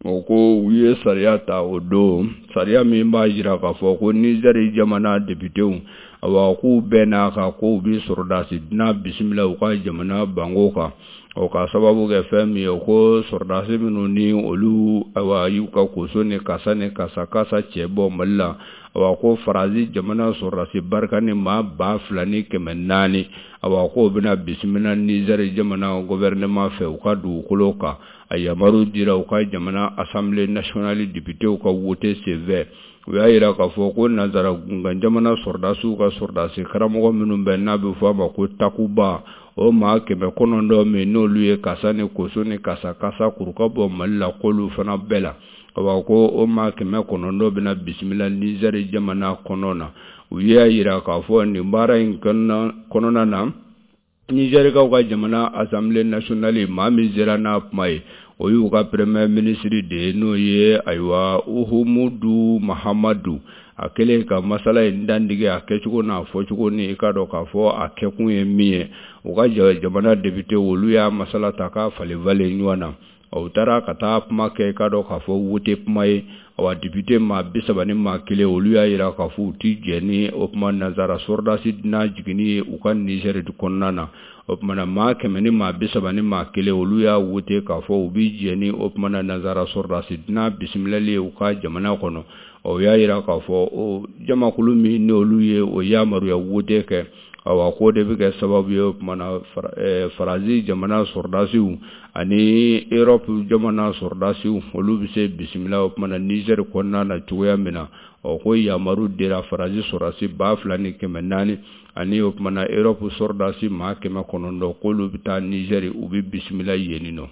Speaker 1: O ko u ye sariya ta o don, sariya min b'a jira k'a fɔ ko Nizɛri jamana députéw, awa, k'u bɛn'a kan k'u bɛ sɔrɔdasi dunan bisimila u ka jamana banko kan. O ka sababu kɛ fɛn min ye, ko sɔrɔdasi minnu ni olu, awa, y'u ka koso ni kasa ni kasa kasa cɛ bɔ Mali la, awa, ko Faransi jamana sɔrɔdasi barika ni maa ba fila ni kɛmɛ naani, awa, k'o bɛna bisimila Nizɛri jamana gouvernement fɛ u ka dugukolo kan. A yamaru dira u ka jamana assemblée nationale députéw ka wote senfɛ. U y'a jira k'a fɔ ko nanzara gunkan jamana sɔrɔdasiw ka sɔrɔdasi karamɔgɔ minnu bɛ, n'a bɛ fɔ a ma ko Takuba, o maa kɛmɛ kɔnɔntɔn min n'olu ye kasa ni koso ni kasa kasa kuru ka bɔ Mali la, k'olu fana bɛɛ la, awa, ko o maa kɛmɛ kɔnɔntɔn bɛna bisimila Nizɛri jamana kɔnɔ na. U y'a jira k'a fɔ nin baara in kɔnɔna na, Nizɛrikaw ka jamana assemblée nationale, maa min sera n'a kuma ye, o y'u ka premier ministre de ye, n'o ye, ayiwa, Uhumudu Mahamadu. A kɛlen ka masala in dandige, a kɛcogo n'a fɔcogo, ni i ka dɔn k'a fɔ a kɛkun ye min ye, u ka jamana député, olu y'a masala ta k'a falen falen ɲɔgɔn na. U taara ka taa kuma kɛ, i ka dɔn k'a fɔ wote kuma ye. Awa, député maa bi saba ni maa kelen, olu y'a jira k'a fɔ u ti jɛ ni o kuma nanzara sɔrɔdasi dunan jiginni ye u ka Nizɛri kɔnɔna na. O tuma na, maa kɛmɛ ni maa bi saba ni maa kelen, olu y'a wote k'a fɔ u bi jɛ ni o tuma na nanzara sɔrɔdasi dunan bisimilali ye u ka jamana kɔnɔ. O y'a jira k'a fɔ o jamakulu min n'olu ye o yamaruya wote kɛ, awa, k'o de bɛ kɛ sababu ye, o tuma na, Faransi jamana sɔrɔdasiw ani Europe jamana sɔrɔdasiw, olu bɛ se bisimila o tuma na Nizɛri kɔnɔna na cogoya min na. Ɔ, ko yamaru dira Faransi sɔrɔdasi ba fila ni kɛmɛ naani ani o tuma na Europe sɔrɔdasi maa kɛmɛ kɔnɔntɔn, k'olu bɛ taa Nizɛri, u bɛ bisimila yen nɔ.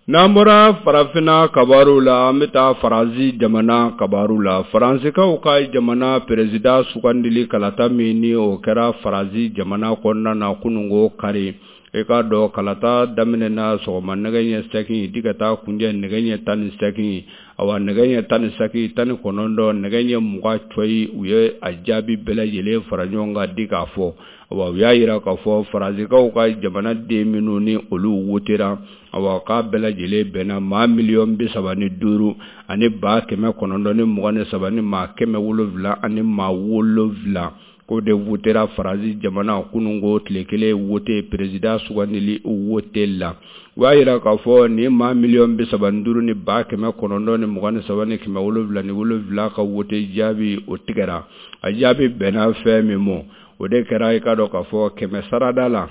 Speaker 1: N'an bɔra farafinna kabaru la, an bɛ taa Faransi jamana kabaru la. Faransikaw ka jamana président sugandili kalata min ni o kɛra Faransi jamana kɔnɔna na kununko kari, i k'a dɔn kalata daminɛna sɔgɔma nɛgɛ ɲɛ seegin di ka taa kunjɛ nɛgɛ ɲɛ tan ni seegin. Awa, nɛgɛ ɲɛ tan ni seegin, tan ni kɔnɔntɔn, nɛgɛ ɲɛ mugan cɔyi, u ye a jaabi bɛɛ lajɛlen fara ɲɔgɔn kan di k'a fɔ. Awa, u y'a jira k'a fɔ Faransikaw ka jamanaden minnu ni olu wotera, awa, k'a bɛɛ lajɛlen bɛnna maa miliyɔn bi saba ni duuru ani ba kɛmɛ kɔnɔntɔn ni mugan ni saba ni maa kɛmɛ wolonwula ani maa wolonwula, k'o de wotera Faransi jamana kununko tile kelen wote président sugandili wote la. U y'a jira k'a fɔ nin maa miliyɔn bi saba ni duuru ni ba kɛmɛ kɔnɔntɔn ni mugan ni saba ni kɛmɛ wolonwula ni wolonwula ka wote jaabi, o tigɛra. A jaabi bɛnna fɛn min ma, o de kɛra, i ka dɔn k'a fɔ kɛmɛ sarada la,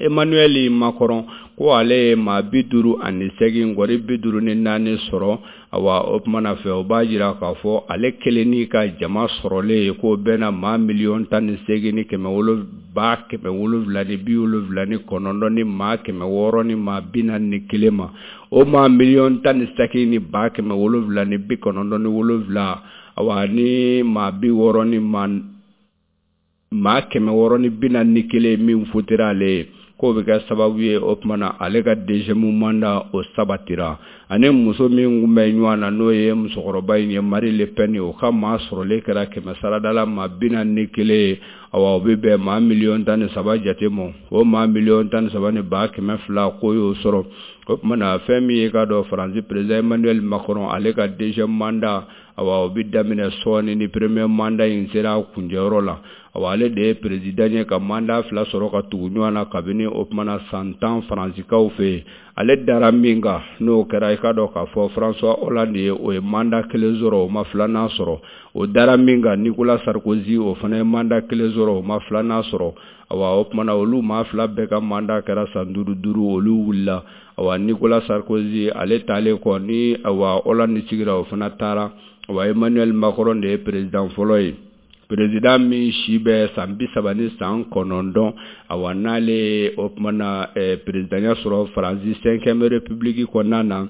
Speaker 1: Emmanuel Macron, ko ale ye maa bi duuru ani segin gɔri bi duuru ni naani sɔrɔ. Awa, o tumana fɛ, o b'a jira k'a fɔ ale kelen n'i ka jama sɔrɔlen ye, k'o bɛnna maa miliyɔn tan ni seegin ni kɛmɛ wolo ba kɛmɛ wolonwula ni bi wolonwula ni kɔnɔntɔn ni maa kɛmɛ wɔɔrɔ ni maa bi naani ni kelen ma. O maa miliyɔn tan ni seegin ni ba kɛmɛ wolonwula ni bi kɔnɔntɔn ni wolonwula, awa, ni maa bi wɔɔrɔ ni maa maa kɛmɛ wɔɔrɔ ni bi naani ni kelen min fotera ale ye, k'o bɛ kɛ sababu ye, o tuma na, ale ka deuxième mandat o sabatira. Ani muso min tun bɛ ɲɔgɔn na, n'o ye musokɔrɔba in ye, Marine Le Pen, o ka maa sɔrɔlen kɛra kɛmɛ sarada la maa bi naani ni kelen ye. Awa, o bɛ bɛn maa miliyɔn tan ni saba jate ma. O maa miliyɔn tan ni saba ni ba kɛmɛ fila, k'o y'o sɔrɔ. O tuma na, fɛn min ye, k'a dɔn Faransi président Emmanuel Macron, ale ka deuxième mandat, awa, o bɛ daminɛ sɔɔni ni premier mandat in sera a kuncɛyɔrɔ la. Awa, ale de ye président ye ka mandat fila sɔrɔ ka tugu ɲɔgɔn na kabini o tuma na san tan Faransikaw fɛ yen. Ale dara min kan, n'o kɛra, i ka dɔn k'a fɔ François Hollande ye, o ye mandat kelen sɔrɔ, o ma filanan sɔrɔ. O dara min kan, Nicolas Sarkozy, o fana ye mandat kelen sɔrɔ, o ma filanan sɔrɔ. Awa, o tuma na, olu maa fila bɛɛ ka mandat kɛra san duuru duuru, olu wulila. Awa, Nicolas Sarkozy, ale taalen kɔ ni, awa, Hollande sigira, o fana taara. Awa, Emmanuel Macron de ye président fɔlɔ ye. Président min si bɛ san bi saba ni san kɔnɔntɔn, awa n'ale o tuma na présidentya sɔrɔ Faransi cinquième république kɔnɔna na,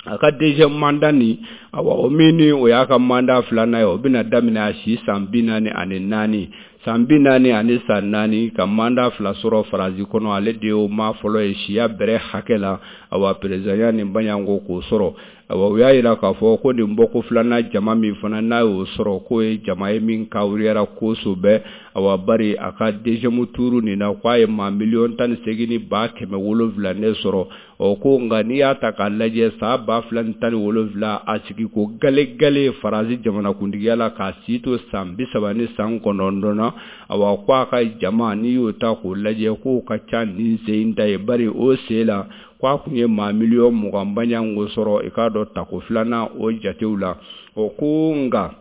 Speaker 1: a ka deuxième mandat nin, awa o min ni o y'a ka mandat filanan ye, o bɛna daminɛ a si san bi naani ani naani san bi naani ani san naani ka mandat fila sɔrɔ Faransi kɔnɔ. Ale de y'o maa fɔlɔ ye siya bɛrɛ hakɛ la, awa présidentya nin baɲanko k'o sɔrɔ. Awa u y'a jira k'a fɔ ko nin bɔko filanan jama min fana n'a y'o sɔrɔ, k'o ye jama ye min kawuriyara kosɛbɛ. Awa bari a ka deuxième tour nin na, k'a ye maa miliyɔn tan ni seegin ni ba kɛmɛ wolonwula ne sɔrɔ. Ɔ ko nka n'i y'a ta k'a lajɛ san ba fila ni tan ni wolonwula a sigi ko gale gale Faransi jamanakuntigiya la k'a si to san bi saba ni san kɔnɔntɔn na, awa ko a ka jama n'i y'o ta k'o lajɛ k'o ka ca nin sen in ta ye, bari o sen la k'a kun ye maa miliyɔn mugan baɲanko sɔrɔ i k'a dɔn tako filanan o jatew la. O ko nka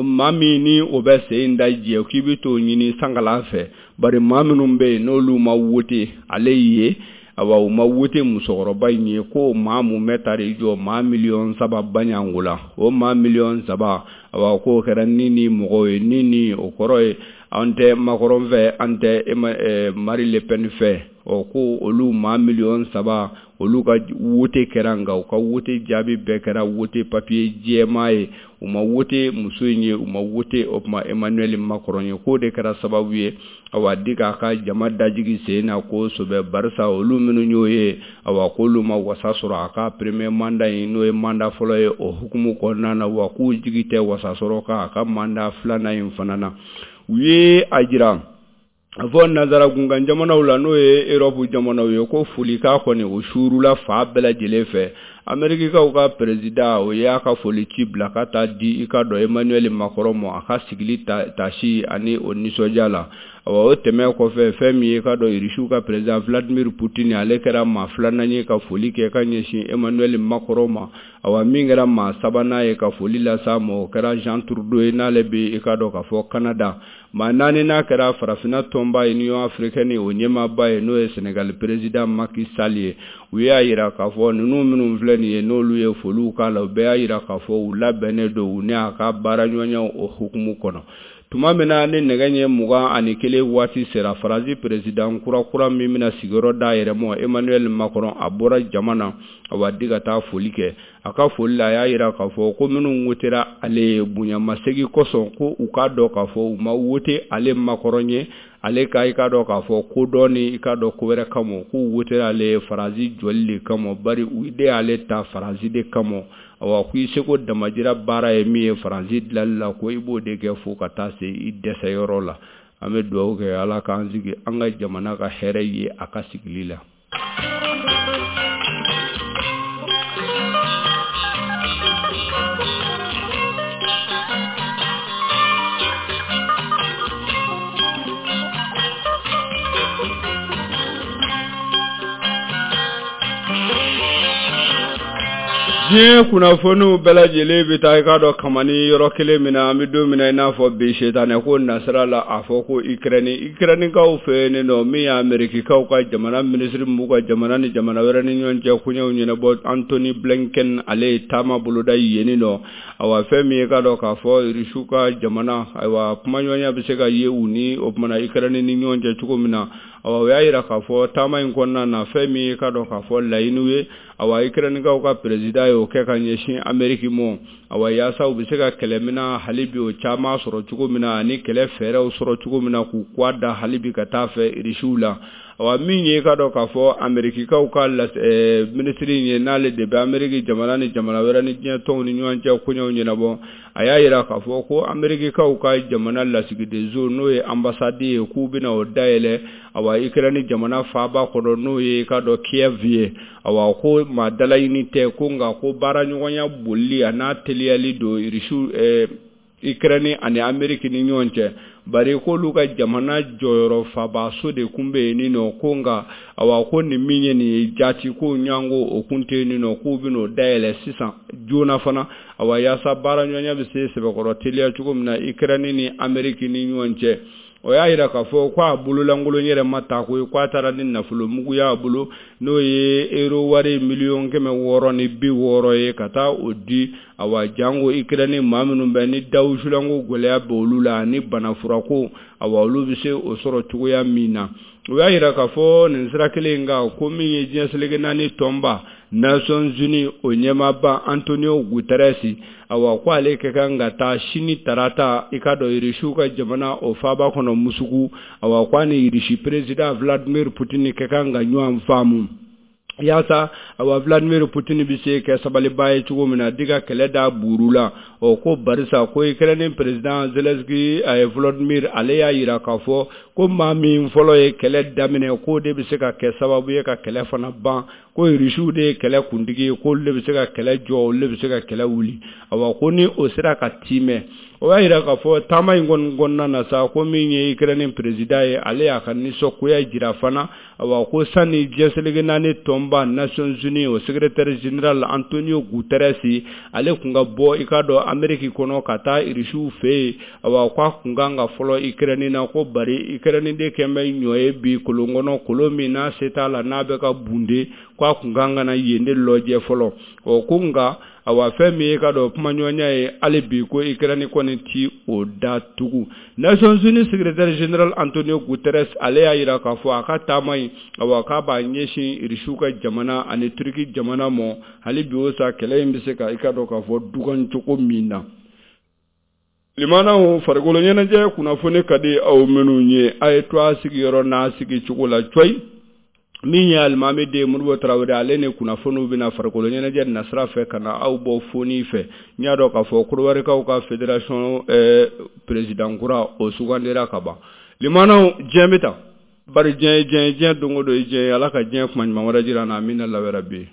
Speaker 1: maa min ni o bɛ sen in da jɛ k'i bɛ t'o ɲini sankala fɛ, bari maa minnu bɛ yen n'olu ma wote ale ye, awa u ma wote musokɔrɔba in ye, ko maa mun bɛ taar'i jɔ maa miliyɔn saba baɲanko la, o maa miliyɔn saba awa k'o kɛra ni ni mɔgɔw ye, ni ni o kɔrɔ ye an tɛ Macron fɛ, an tɛ Marine Le Pen fɛ. Ɔ ko olu maa miliyɔn saba olu ka wote kɛra, nka u ka wote jaabi bɛɛ kɛra wote papiye jɛman ye, u ma wote muso in ye, u ma wote o tuma Emmanuel Macron ye. K'o de kɛra sababu ye awa di k'a ka jama dajigi sen na kosɛbɛ, barisa olu minnu y'o ye, awa k'olu ma wasa sɔrɔ a ka premier mandat in n'o ye mandat fɔlɔ ye o hukumu kɔnɔna na, wa k'u jigi tɛ wasa sɔrɔ k'a ka mandat filanan in fana na. U ye a jira a fɔ nanzara gunkan jamanaw la n'o ye Europe jamanaw ye ko folikan kɔni o suurula fa bɛɛ lajɛlen fɛ. Amerikikaw ka président o y'a ka foli ci bila ka taa di i ka dɔn Emmanuel Macron ma a ka sigili tasi ani o nisɔndiya la. Awa o tɛmɛ kɔfɛ fɛn min ye ka dɔn Irisiw ka président Vladimir Poutine ale kɛra maa filanan ye ka foli kɛ ka ɲɛsin Emmanuel Macron ma. Awa min kɛra maa sabanan ye ka foli las'a ma o kɛra Jean Trudeau ye n'ale bɛ i ka dɔn k'a fɔ Canada. Maa naani n'a kɛra farafinna tɔnba Union africaine o ɲɛmaaba ye n'o ye Sénégal président Macky Sall ye. U y'a jira k'a fɔ ninnu minnu filɛ nin ye n'olu ye foliw k'a la, u bɛɛ y'a jira k'a fɔ u labɛnnen don u ni a ka baaraɲɔgɔnyaw o hukumu kɔnɔ. Tuma min na ni nɛgɛ ɲɛ mugan ani kelen waati sera, Faransi président kura kura min bɛna sigiyɔrɔ d'a yɛrɛ ma Emmanuel Macron a bɔra jama na awa di ka taa foli kɛ. A ka foli la a y'a jira k'a fɔ ko minnu wotera ale ye bonyamasegin kosɔn ko u k'a dɔn k'a fɔ u ma wote ale Macron ye, ale ka i k'a dɔn k'a fɔ ko dɔn ni i k'a dɔn ko wɛrɛ kama, k'u wotera ale ye Faransi jɔli de kama, bari u de y'ale ta Faransi de kama. Awa ko i seko damajira baara ye min ye Faransi dilali la, ko i b'o de kɛ fo ka taa se i dɛsɛyɔrɔ la. An bɛ dugawu kɛ Ala k'an sigi an ka jamana ka hɛrɛ ye a ka sigili la. Diɲɛ kunnafoniw bɛɛ lajɛlen bɛ taa i k'a dɔn kamani yɔrɔ kelen min na an bɛ don min na i n'a fɔ bi setanɛ ko nasira la a fɔ ko Ukraine Ukrainekaw fɛ yen nɔ min ye Amerikikaw ka jamana minisiri min b'u ka jamana ni jamana wɛrɛ ni ɲɔgɔn cɛ koɲɛw ɲɛnabɔ Antony Blinken ale ye taama boloda yen nɔ. Awa fɛn min ye k'a dɔn k'a fɔ Irisiw ka jamana ayiwa kumaɲɔgɔnya bɛ se ka ye u ni o tuma na Ukraine ni ɲɔgɔn cɛ cogo min na. Awa o y'a jira k'a fɔ taama in kɔnɔna na fɛn min ye k'a dɔn k'a fɔ laɲiniw ye, awa Ukrainekaw ka président ye o kɛ ka ɲɛsin Ameriki ma, awa yaasa u bɛ se ka kɛlɛminɛn hali bi o caman sɔrɔ cogo min na ani kɛlɛ fɛɛrɛw sɔrɔ cogo min na k'u kɔ da hali bi ka taa fɛ Irisiw la. Awa min ye k'a dɔn k'a fɔ Amerikikaw ka minisiri ye n'ale de bɛ Ameriki jamana ni jamana wɛrɛ ni diɲɛ tɔnw ni ɲɔgɔn cɛ koɲɛw ɲɛnabɔ, a y'a jira k'a fɔ ko Amerikikaw ka jamana lasigidenso n'o ye ambassade ye k'u bɛna o dayɛlɛ awa Ukraine jamana faaba kɔnɔ n'o ye k'a dɔn Kiev ye. Awa ko maa dalaɲini tɛ ko nka ko baaraɲɔgɔnya bolili a n'a teliyali don Irisiw Ukraine ani Ameriki ni ɲɔgɔn cɛ, bari k'olu ka jamana jɔyɔrɔ fabaso de kun bɛ yen nɔ, ko nka awa ko nin min ye nin ye jaati ko ɲango o kun tɛ yen nɔ, k'u bɛn'o dayɛlɛ sisan joona fana, awa yaasa baaraɲɔgɔnya bɛ se sɛbɛkɔrɔ teliya cogo min na Ukraine ni Ameriki ni ɲɔgɔn cɛ. O y'a jira k'a fɔ ko a bololankolon yɛrɛ ma ta ko k'a taara ni nafolo mugu y'a bolo, n'o ye euro wari miliyɔn kɛmɛ wɔɔrɔ ni bi wɔɔrɔ ye, ka taa o di awa jango Ukraine maa minnu bɛ ni dawusulanko gɛlɛya bɛ olu la ani banafurako, awa olu bɛ se o sɔrɔ cogoya min na. O y'a jira k'a fɔ nin sira kelen in kan ko min ye diɲɛ seleke naani tɔnba Nations Unies o ɲɛmaaba Antonio Guterres, awa ko ale ka kan ka taa sini tarata i ka dɔn Irisiw ka jamana o faaba kɔnɔ Musuku, awa ko a ni Irisi président Vladimir Poutine ka kan ka ɲɔgɔn faamu yaasa awa Vladimir Poutine bɛ se kɛ sabaliba ye cogo min na di ka kɛlɛ da buuru la. Ɔ ko barisa ko Ukraine président Zelensky a ye Volodymyr ale y'a jira k'a fɔ ko maa min fɔlɔ ye kɛlɛ daminɛ k'o de bɛ se ka kɛ sababu ye ka kɛlɛ fana ban, ko Irisiw de ye kɛlɛ kuntigi ye, k'olu de bɛ se ka kɛlɛ jɔ, olu de bɛ se ka kɛlɛ wuli. Awa ko ni o sera ka timɛ. O y'a jira k'a fɔ taama in kɔni kɔnɔna na sa ko min ye Ukraine président ye, ale y'a ka nisɔngoya jira fana, awa ko sani diɲɛ seleke naani tɔnba Nations Unies o secrétaire général Antonio Guterres ale tun ka bɔ i ka dɔn Amérique kɔnɔ ka taa Irisiw fɛ yen, awa k'a tun kan ka fɔlɔ Ukraine na, ko bari Ukraine de kɛn bɛ ɲɔ ye bi kolon kɔnɔ, kolon min n'a se t'a la n'a bɛ ka bunde, k'a tun kan ka na yen de lajɛ fɔlɔ. Ɔ ko nka awa fɛn min ye ka dɔn kumaɲɔgɔnya ye hali bi ko Ukraine kɔni ti o da tugun. Nations Unies secrétaire général Antonio Guterres ale y'a jira k'a fɔ a ka taama in awa k'a b'a ɲɛsin Irisiw ka jamana ani Turki jamana ma, hali bi o sa kɛlɛ in bɛ se ka i ka dɔn k'a fɔ dugan cogo min na. Limanaw farikolo ɲɛnajɛ kunnafoni ka di aw minnu ye, a ye to a sigiyɔrɔ n'a sigicogo la cɔyi. Min ye alimami den Modibo Tarawele ale ni kunnafoniw bɛna farikolo ɲɛnajɛ nasira fɛ ka na aw bɔ foni fɛ. N y'a dɔn k'a fɔ Kɔdiwarikaw ka fédération président kura o sugandira ka ban. Limanaw diɲɛ bɛ tan, bari diɲɛ ye diɲɛ ye, diɲɛ don o don ye diɲɛ ye. Ala ka diɲɛ kuma ɲuman wɛrɛ jira an na, amina lawɛrɛ bi.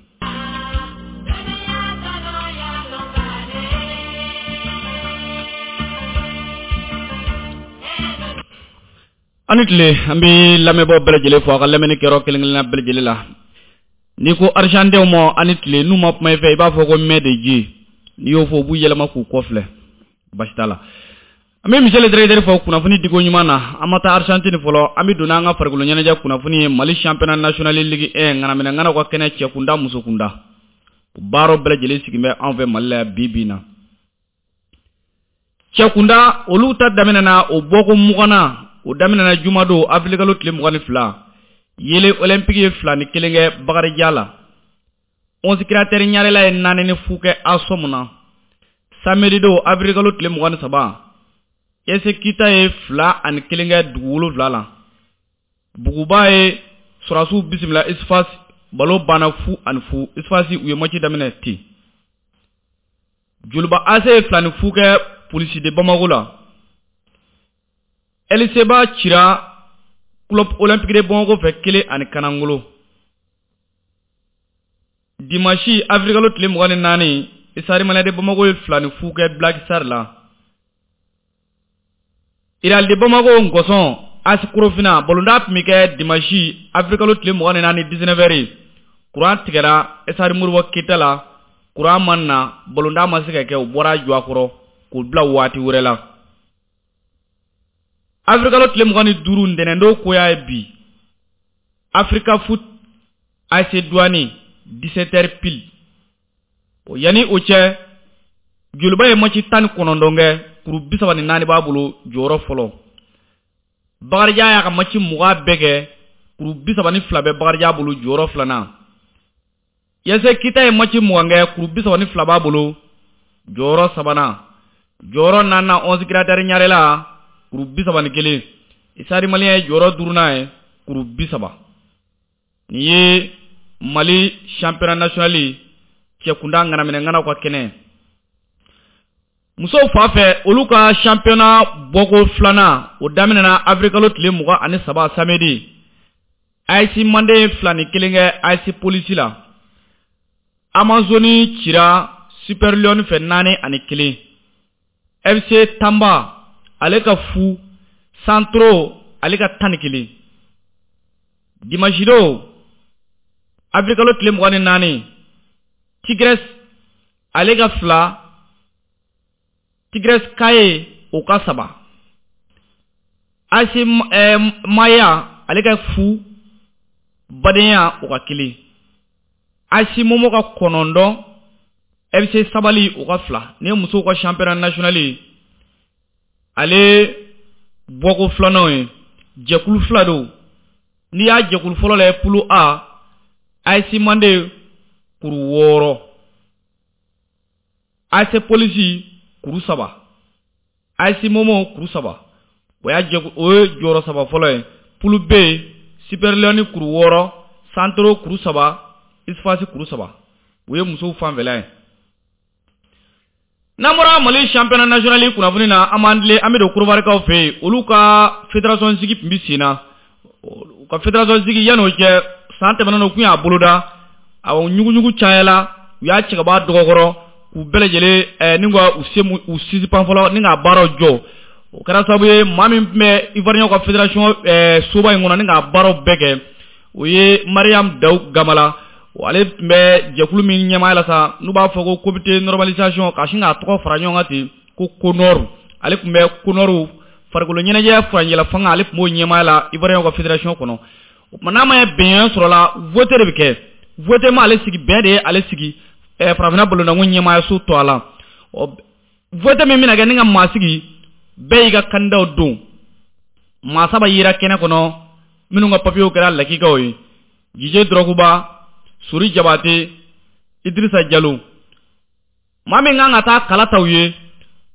Speaker 2: Ani tile, an bɛ lamɛnbaaw bɛɛ lajɛlen fo a ka lamɛnni kɛyɔrɔ kelen kelenna bɛɛ lajɛlen la. N'i ko Argentins ma ani tile, n'u ma kuma i fɛ i b'a fɔ ko mɛ de Dieu, n'i y'o fɔ u b'u yɛlɛma k'u kɔfilɛ, basi t'a la. An bɛ Michel Directeur fo kunnafoni diko ɲuman na. An ma taa Argentine fɔlɔ, an bɛ don n'an ka farikolo ɲɛnajɛ kunnafoni ye. Mali championnat national Ligue un ŋanaminɛ ŋanaw ka kɛnɛ cɛ kunda muso kunda, o baaraw bɛɛ lajɛlen sigilen bɛ anw fɛ Mali la yan bi bi in na. Cɛ kunda olu ta daminɛna o bɔko muganna, o daminɛna jumadon avril kalo tile mugan ni fila. Yele Olympique ye fila ni kelen kɛ Bakarijan la. Onze Créateurs Ɲarela ye naani ni fu kɛ Asom na. Samedi don avril kalo tile mugan ni saba, Ese Kita ye fila ani kelen kɛ dugu wolonwula la. Buguba ye sɔrɔdasiw bisimila Isfas, balo banna fu ani fu. Isfas u ye match daminɛ ten. Joliba A C ye fila ni fu kɛ Polisi de Bamako la. Eliseba cira Club Olympique de Bamako fɛ kelen ani kanangolo. Dimanche avril kalo tile mugan ni naani, Stade Malien de Bamako ye fila ni fu kɛ Black Star la. Real de Bamako Ngɔsɔn A S Korofina balontan tun bɛ kɛ dimanche avril kalo tile mugan ni naani dix-neuf heures. Kuran tigɛra Stade Modibo Keyita la, kuran ma na, balontan ma se ka kɛ, u bɔra a jɔ a kɔrɔ k'o bila waati wɛrɛ la. Avril kalo tile mugan ni duuru ntɛnɛndon koya ye bi, Africa Foot A S Douane dix-sept heures pile. O yanni o cɛ, Joliba ye match tan ni kɔnɔntɔn kɛ, kuru bi saba ni naani b'a bolo jɔyɔrɔ fɔlɔ. Bakarijan y'a ka match mugan bɛɛ kɛ, kuru bi saba ni fila bɛ Bakarijan bolo jɔyɔrɔ filanan. Yese Kita ye match mugan kɛ, kuru bi saba ni fila b'a bolo jɔyɔrɔ sabanan. Jɔyɔrɔ naaninan Onze Créateurs Ɲarela kuru bi saba ni kelen. Stade Malien ye jɔyɔrɔ duurunan ye kuru bi saba. Nin ye Mali championnat national cɛkunda ŋanaminɛ ŋanaw ka kɛnɛ. Musow fan fɛ olu ka championnat bɔko filanan o daminɛna avril kalo tile mugan ani saba samedi. A S Manden ye fila ni kelen kɛ A S Polisi la. Amazoni cira Super Lion fɛ naani ani kelen. F C Tanba ale ka fu, Santro ale ka tan ni kelen. Dimanche don avril kalo tile mugan ni naani, Tigres ale ka fila, Tigres Kaye o ka saba. A S Maya ale ka fu, Badenya o ka kelen, A S Momo ka kɔnɔntɔn, F C Sabali o ka fila. Nin ye musow ka championnat national ye, ale bɔko filanan ye, jɛkulu fila don. N'i y'a jɛkulu fɔlɔ lajɛ poule A, A S Mande kuru wɔɔrɔ, A S Polisi kuru saba, A S Momo kuru saba. O y'a jɛkulu, o ye jɔyɔrɔ saba fɔlɔ ye. Poule B, Super Leone kuru wɔɔrɔ, Santoro kuru saba, Isfasi kuru saba. O ye musow fanfɛla ye. N'an bɔra Mali championnat national kunnafoni na, an b'an tilen an bɛ don Korobarikaw fɛ yen. Olu ka fédération sigi tun bɛ sen na. U ka fédération sigi yan'o cɛ, san tɛmɛnen u tun y'a boloda, awɔ, ɲuguɲugu cayala, u y'a cɛ ka bɔ a dɔgɔkɔrɔ k'u bɛɛ lajɛlen ɛɛ ni ka u se u sisipan fɔlɔ ni k'a baaraw jɔ. O kɛra sababu ye maa min tun bɛ Ivoirien ka fédération ɛɛ soba in kɔnɔ ni k'a baaraw bɛɛ kɛ, o ye Mariam Daou Gamala. Ale tun bɛ jɛkulu min ɲɛmaaya la sa, n'u b'a fɔ ko comité normalisation, ka sin k'a tɔgɔ fara ɲɔgɔn kan ten ko CONOR. Ale tun bɛ CONOR farikolo ɲɛnajɛ furancɛla fanga, ale tun b'o ɲɛmaaya la Ivoirien ka fédération kɔnɔ. O tuma n'a ma ye bɛnkan sɔrɔ la, vote de bɛ kɛ. Vote ma ale sigi, bɛn de ye ale sigi ɛɛ farafinna balontanko ɲɛmaayaso tɔ a la. Ɔ vote min bɛna kɛ ni ka maa sigi, bɛɛ y'i ka candidat don. Maa saba yera kɛnɛ kɔnɔ minnu ka papiyew kɛra lakikaw ye: Didier Drogba, Sori Jabate, Idrissa Diallo. Maa min kan ka taa kala taw ye,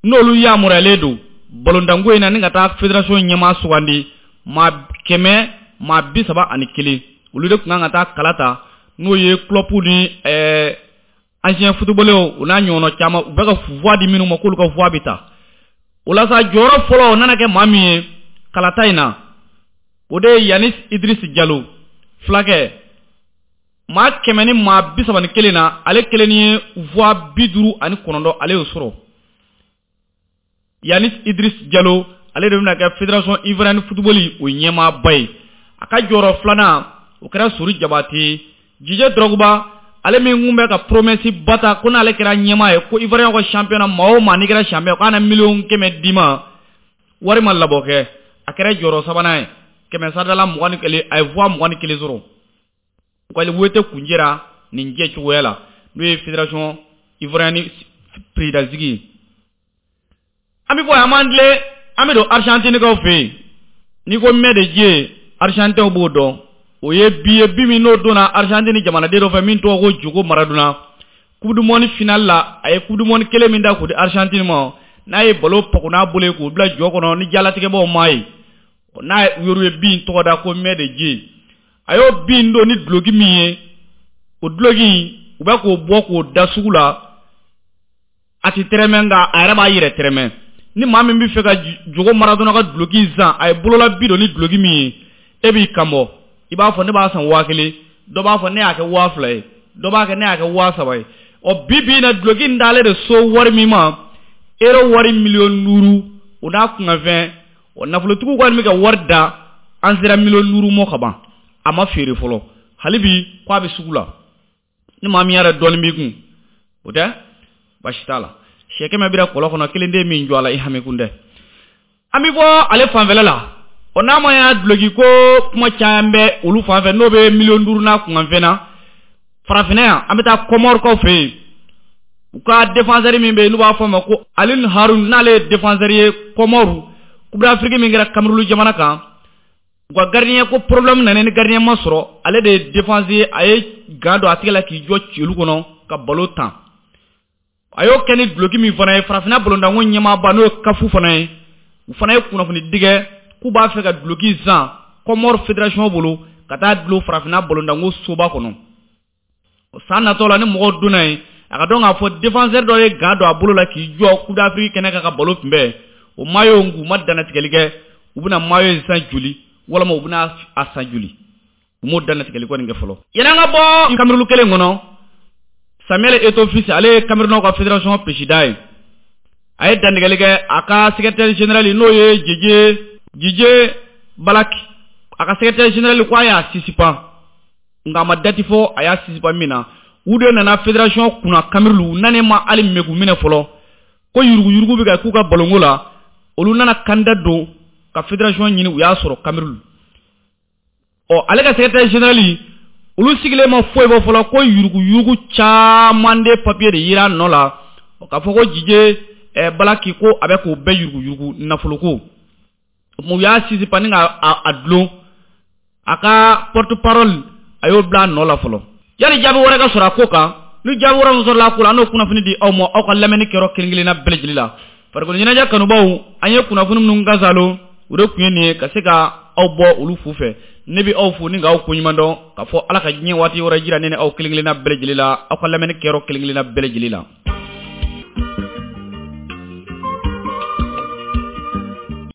Speaker 2: n'olu yamaruyalen don balontanko in na ni ka taa fédération ɲɛmaa sugandi, maa kɛmɛ maa bi saba ani kelen, olu de tun kan ka taa kala ta, n'o ye club ni ɛɛ ancien footballeur o n'a ɲɔgɔnna caman, u bɛ ka voix di minnu ma k'olu ka voix bɛ ta. O la sa, jɔyɔrɔ fɔlɔ o nana kɛ maa min ye kalata in na, o de ye Yanis Idriss Diallo fulakɛ. Maa kɛmɛ ni maa bi saba ni kelen na, ale kelen ye voix bi duuru ani kɔnɔntɔn, ale y'o sɔrɔ. Yanis Idriss Diallo ale de bɛna kɛ fédération ivoirienne football o ɲɛmaaba ye. A ka jɔyɔrɔ filanan o kɛra Sori Jabate. Didier Drogba, ale min kun bɛ ka promesse ba ta ko n'ale kɛra ɲɛmaa ye, ko Ivoirien ka championnat maa o maa n'i kɛra champion k'a na miliyɔn kɛmɛ d'i ma, wari ma labɔ kɛ, a kɛra jɔyɔrɔ sabanan ye, kɛmɛ sarada mugan ni kelen, a ye voix mugan ni kelen sɔrɔ. U ka wote kunjɛra nin jɛ cogoya la, n'o ye fédération ivoirienne président sigi ye. An bɛ bɔ yan, an b'an tilen an bɛ don Argentine kaw fɛ yen. N'i ko main de Dieu, Argentinw b'o dɔn. O ye bi ye, bi min n'o donna Argentine jamanaden dɔ fɛ min tɔgɔ ko Diego Maradona. Coupe du monde finale la, a ye coupe du monde kelen min da k'o di Argentine ma, n'a ye ballon pago n'a bolo ye k'o bila jɔ kɔnɔ ni jalatigɛbaw m'a ye, n'a yɔrɔ ye bin tɔgɔ da ko main de Dieu. A y'o bin don ni duloki min ye, o duloki u bɛ k'o bɔ k'o da sugu la, a ti tɛrɛmɛ, nka a yɛrɛ b'a yɛrɛ tɛrɛmɛ. Ni maa min bɛ fɛ ka Diego Maradona ka duloki san, a ye bolola bi don ni duloki min ye, e b'i kan bɔ, i b'a fɔ ne b'a san waa kelen, dɔ b'a fɔ ne y'a kɛ waa fila ye, dɔ b'a kɛ ne y'a kɛ waa saba ye. Ɔ bi bi in na, duloki in d'ale de so wari min ma, euro wari miliyɔn duuru o n'a kunkanfɛn. Ɔ nafolotigiw kɔni bɛ ka wari da, an sera miliyɔn duuru mɔ ka ban, a ma feere fɔlɔ hali bi, k'a bɛ sugu la. Ni maa min yɛrɛ dɔɔnin b'i kun, o tɛ baasi t'a la. Sɛ kɛmɛ bira kɔlɔn kɔnɔ, kelen den min jɔ a la, i hami kun dɛ. An bɛ bɔ ale fanfɛla la. Ɔ n'a ma y'a duloki ko kuma caman bɛ olu fanfɛ, n'o bɛ miliyɔn duuru n'a kunkanfɛn na, farafinna yan, an bɛ taa Kɔmɔrikaw fɛ yen. U ka défenseur min bɛ yen n'u b'a fɔ a ma ko Alioune Haroun, n'ale ye défenseur ye Kɔmɔru, Coupe d'Afrique min kɛra Cameroun jamana kan, u ka gardien ko problème nana ni gardien ma sɔrɔ, ale de ye défense ye, a ye gant don a tigɛ la k'i jɔ celu kɔnɔ ka ballon tan. A y'o kɛ ni duloki min fana ye, farafinna balontanko ɲɛmaaba n'o ye CAF fana ye, u fana ye kunnafoni digɛ k'u b'a fɛ ka duloki san Kɔmɔri fédération bolo ka taa dulon farafinna balontanko soba kɔnɔ san natɔ la. Ni mɔgɔw donna yen, a ka dɔn k'a fɔ défenseur dɔ ye gant don a bolo la k'i jɔ Coupe d'Afrique kɛnɛ kan ka ballon kunbɛn, o maillot u ma dannatigɛli kɛ, u bɛna maillot in san joli walima u bɛna a san joli, u m'o dannatigɛli kɔni kɛ fɔlɔ. Yanni an ka bɔ Cameroun kelen kɔnɔ, Samuel Eto'o Fils, ale ye Cameroun ka fédération président ye, a ye dantigɛli kɛ a ka secrétaire général n'o ye Didier Didier Balak, a ka secrétaire général ko a y'a suspend, nka a ma date fɔ a y'a suspend min na. U de nana fédération kunna Cameroun, u nanen ma hali mɛgu minɛ fɔlɔ ko yuruguyurugu bɛ ka k'u ka balonko la, olu nana candidat don ka fédération ɲini u y'a sɔrɔ Cameroun. Ɔ ale ka secrétaire général olu sigilen ma foyi bɔ fɔlɔ ko yuruguyurugu caman de papier de yira nɔ la k'a fɔ ko Jije eh, Balaki ko a bɛ k'o bɛɛ yuruguyurugu nafoloko. U y'a sisipa ni ka a dulon a ka porte parole a y'o bila a nɔ la fɔlɔ yanni jaabi wɛrɛ ka sɔrɔ a ko kan. Ni jaabi wɛrɛ min sɔrɔla a ko la, an n'o kunnafoni di aw ma aw ka lamɛnni kɛyɔrɔ kelen kelenna bɛɛ lajɛlen la. Farikolo ɲɛnajɛ kanubaw, an ye kunnafoni minnu kasalo o de tun ye nin ye ka se ka aw bɔ olu fu fɛ. Ne bɛ aw fo ni k'aw koɲuman dɔn k'a fɔ Ala ka diɲɛ waati wɛrɛ jira ne ni aw kelen kelenna bɛɛ lajɛlen la aw ka lamɛnni kɛyɔrɔ kelen kelenna bɛɛ lajɛlen la.